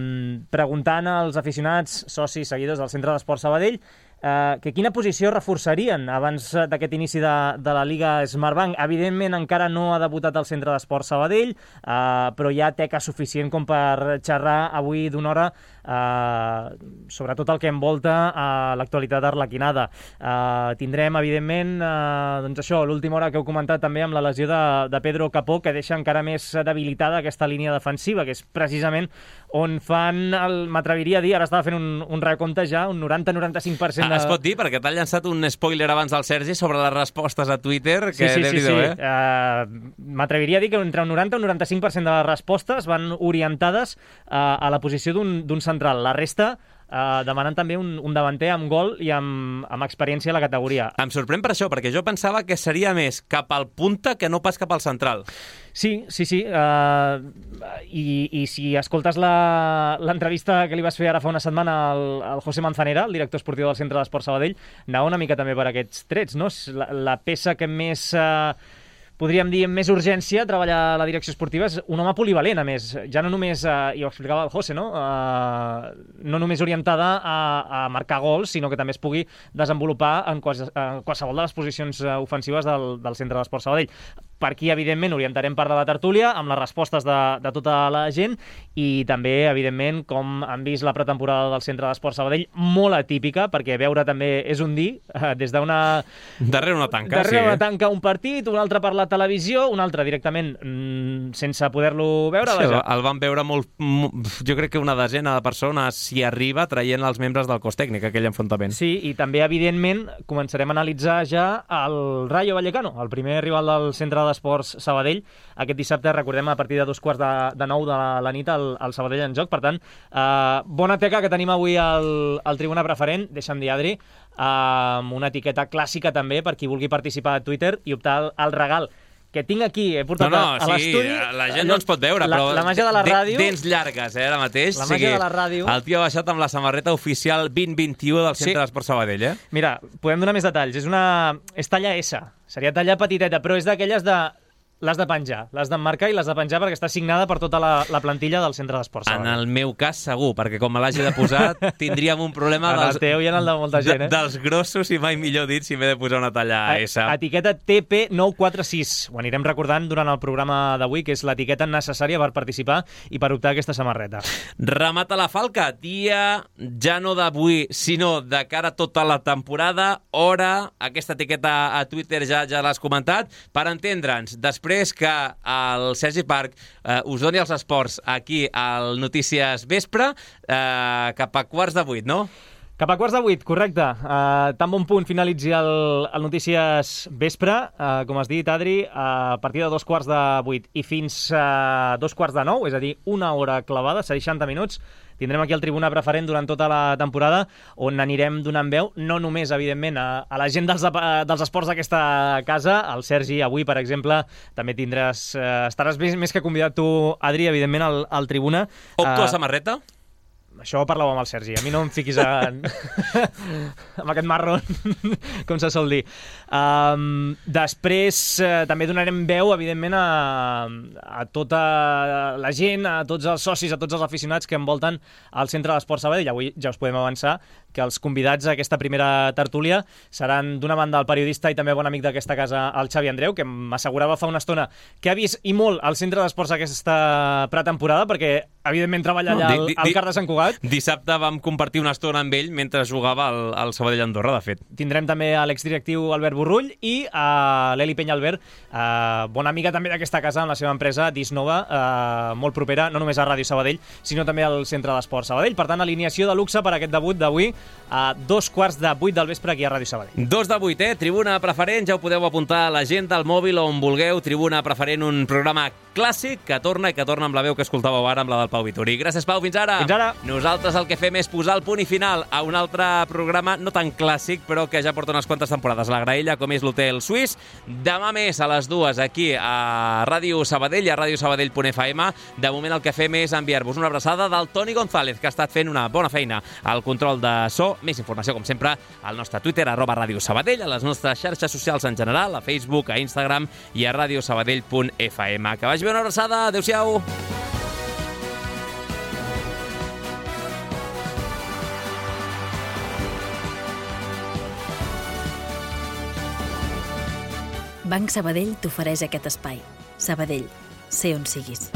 preguntant als aficionats, socis, seguidors del Centre d'Esport Sabadell, eh, que quina posició reforçarien abans d'aquest inici de, de la Lliga Smartbank. Evidentment, encara no ha debutat el Centre d'Esport Sabadell, eh, però hi ha teca suficient com per xerrar avui d'una hora Uh, sobretot el que envolta uh, l'actualitat arlequinada. Uh, tindrem, evidentment, uh, doncs això, l'última hora que heu comentat també amb la lesió de, de Pedro Capó, que deixa encara més debilitada aquesta línia defensiva, que és precisament on fan, m'atreviria a dir, ara estava fent un, un recompte ja, un noranta a noranta-cinc per cent de... Ah, es pot dir, perquè t'ha llançat un spoiler abans del Sergi sobre les respostes a Twitter, que sí, sí, sí, sí. eh? Uh, m'atreviria a dir que entre un noranta i un noranta-cinc per cent de les respostes van orientades uh, a la posició d'un central. La resta eh, demanant també un, un davanter amb gol i amb, amb experiència a la categoria. Em sorprèn per això, perquè jo pensava que seria més cap al punta que no pas cap al central. Sí, sí, sí. Uh, i, I si escoltes l'entrevista que li vas fer ara fa una setmana al, al José Manzanera, el director esportiu del Centre d'Esport Sabadell, anava una mica també per aquests trets, no? La, la peça que més... Uh, podríem dir, amb més urgència, treballar la direcció esportiva és un home polivalent, a més. Ja no només, eh, i ho explicava el José, no? Eh, no només orientada a, a marcar gols, sinó que també es pugui desenvolupar en, quals, en qualsevol de les posicions ofensives del, del Centre d'Esport Sabadell. Per aquí, evidentment, orientarem part de la tertúlia amb les respostes de, de tota la gent i també, evidentment, com han vist la pretemporada del Centre d'Esport Sabadell, molt atípica, perquè veure també és un dir, eh, des d'una... Darrere una tanca, darrere sí. una tanca un partit, un altre per la televisió, un altre directament mmm, sense poder-lo veure. Sí, el van veure molt, jo crec que una desena de persones s'hi arriba traient els membres del cos tècnic, aquell enfrontament. Sí, i també, evidentment, començarem a analitzar ja el Rayo Vallecano, el primer rival del Centre d'Esports Sabadell. Aquest dissabte, recordem, a partir de dos quarts de, de nou de la, la nit, el, el Sabadell en joc. Per tant, eh, bona teca que tenim avui al, al Tribuna Preferent, deixa'm dir, Adri, amb una etiqueta clàssica també per qui vulgui participar a Twitter i optar al, al regal que tinc aquí, he portat no, no, a, a l'estudi. Sí, la gent no ens pot veure, la, però... La màgia de la ràdio... Dents llargues, eh, ara mateix. La màgia de la ràdio... El tio ha baixat amb la samarreta oficial vint vint-i-u del Centre sí. d'Esport Sabadell, eh? Mira, podem donar més detalls. És una... És talla S. Seria talla petiteta, però és d'aquelles de... L'has de penjar, l'has d'emmarcar i l'has de penjar perquè està signada per tota la, la plantilla del Centre d'Esport Sabadell. En el meu cas, segur, perquè com me l'hagi de posar, tindríem un problema en dels, el teu i en el de molta gent, eh? dels grossos i mai millor dit si m'he de posar una talla S. Etiqueta T P nou quatre sis. Ho anirem recordant durant el programa d'avui, que és l'etiqueta necessària per participar i per optar a aquesta samarreta. Remata la falca. Dia ja no d'avui, sinó de cara a tota la temporada. Hora, aquesta etiqueta a Twitter ja ja l'has comentat. Per entendre'ns, després que el Sergi Parc eh, us doni els esports aquí al Notícies Vespre, eh, cap a quarts de vuit, no? Cap a quarts de vuit, correcte. Uh, tan bon punt finalitzi el, el Notícies Vespre, uh, com has dit, Adri, uh, a partir de dos quarts de vuit i fins a uh, dos quarts de nou, és a dir, una hora clavada, seixanta minuts, tindrem aquí el Tribuna Preferent durant tota la temporada, on anirem donant veu, no només, evidentment, a, a la gent dels, dels esports d'aquesta casa. El Sergi, avui, per exemple, també tindràs... Eh, estaràs més, més que convidat tu, Adri, evidentment, al, al Tribuna. Opto a samarreta? Això ho parlàvem amb el Sergi. A mi no em fiquis a... amb aquest marron, com se sol dir. Um, després uh, també donarem veu, evidentment, a, a tota la gent, a tots els socis, a tots els aficionats que envolten el Centre d'Esport Sabadell. Avui ja us podem avançar que els convidats a aquesta primera tertúlia seran d'una banda el periodista i també bon amic d'aquesta casa, el Xavi Andreu, que m'assegurava fa una estona que ha vist i molt al centre d'esports aquesta pretemporada, perquè evidentment treballa allà al, al Car de Sant Cugat. Dissabte vam compartir una estona amb ell mentre jugava al, al Sabadell Andorra, de fet. Tindrem també a l'exdirectiu Albert Borrull i a l'Eli Penyalbert, eh, bona amiga també d'aquesta casa amb la seva empresa Disnova, eh, molt propera, no només a Ràdio Sabadell, sinó també al Centre d'Esports Sabadell. Per tant, alineació de luxe per aquest debut d'avui a dos quarts de vuit del vespre aquí a Ràdio Sabadell. Dos de vuit, eh? Tribuna preferent, ja ho podeu apuntar a l'agenda, al mòbil o on vulgueu. Tribuna preferent, un programa clàssic que torna i que torna amb la veu que escoltàveu ara, amb la del Pau Vituri. Gràcies, Pau, fins ara. Fins ara. Nosaltres el que fem és posar el punt i final a un altre programa no tan clàssic, però que ja porta unes quantes temporades. La graella, com és l'Hotel Suís. Demà més a les dues aquí a Ràdio Sabadell i a ràdio sabadell punt f m. De moment el que fem és enviar-vos una abraçada del Toni González, que ha estat fent una bona feina al control de so. Més informació, com sempre, al nostre Twitter, arroba Ràdio Sabadell, a les nostres xarxes socials en general, a Facebook, a Instagram i a ràdio sabadell punt f m. Que vagi bé, una abraçada. Adéu-siau. Banc Sabadell t'ofereix aquest espai. Sabadell, sé on siguis.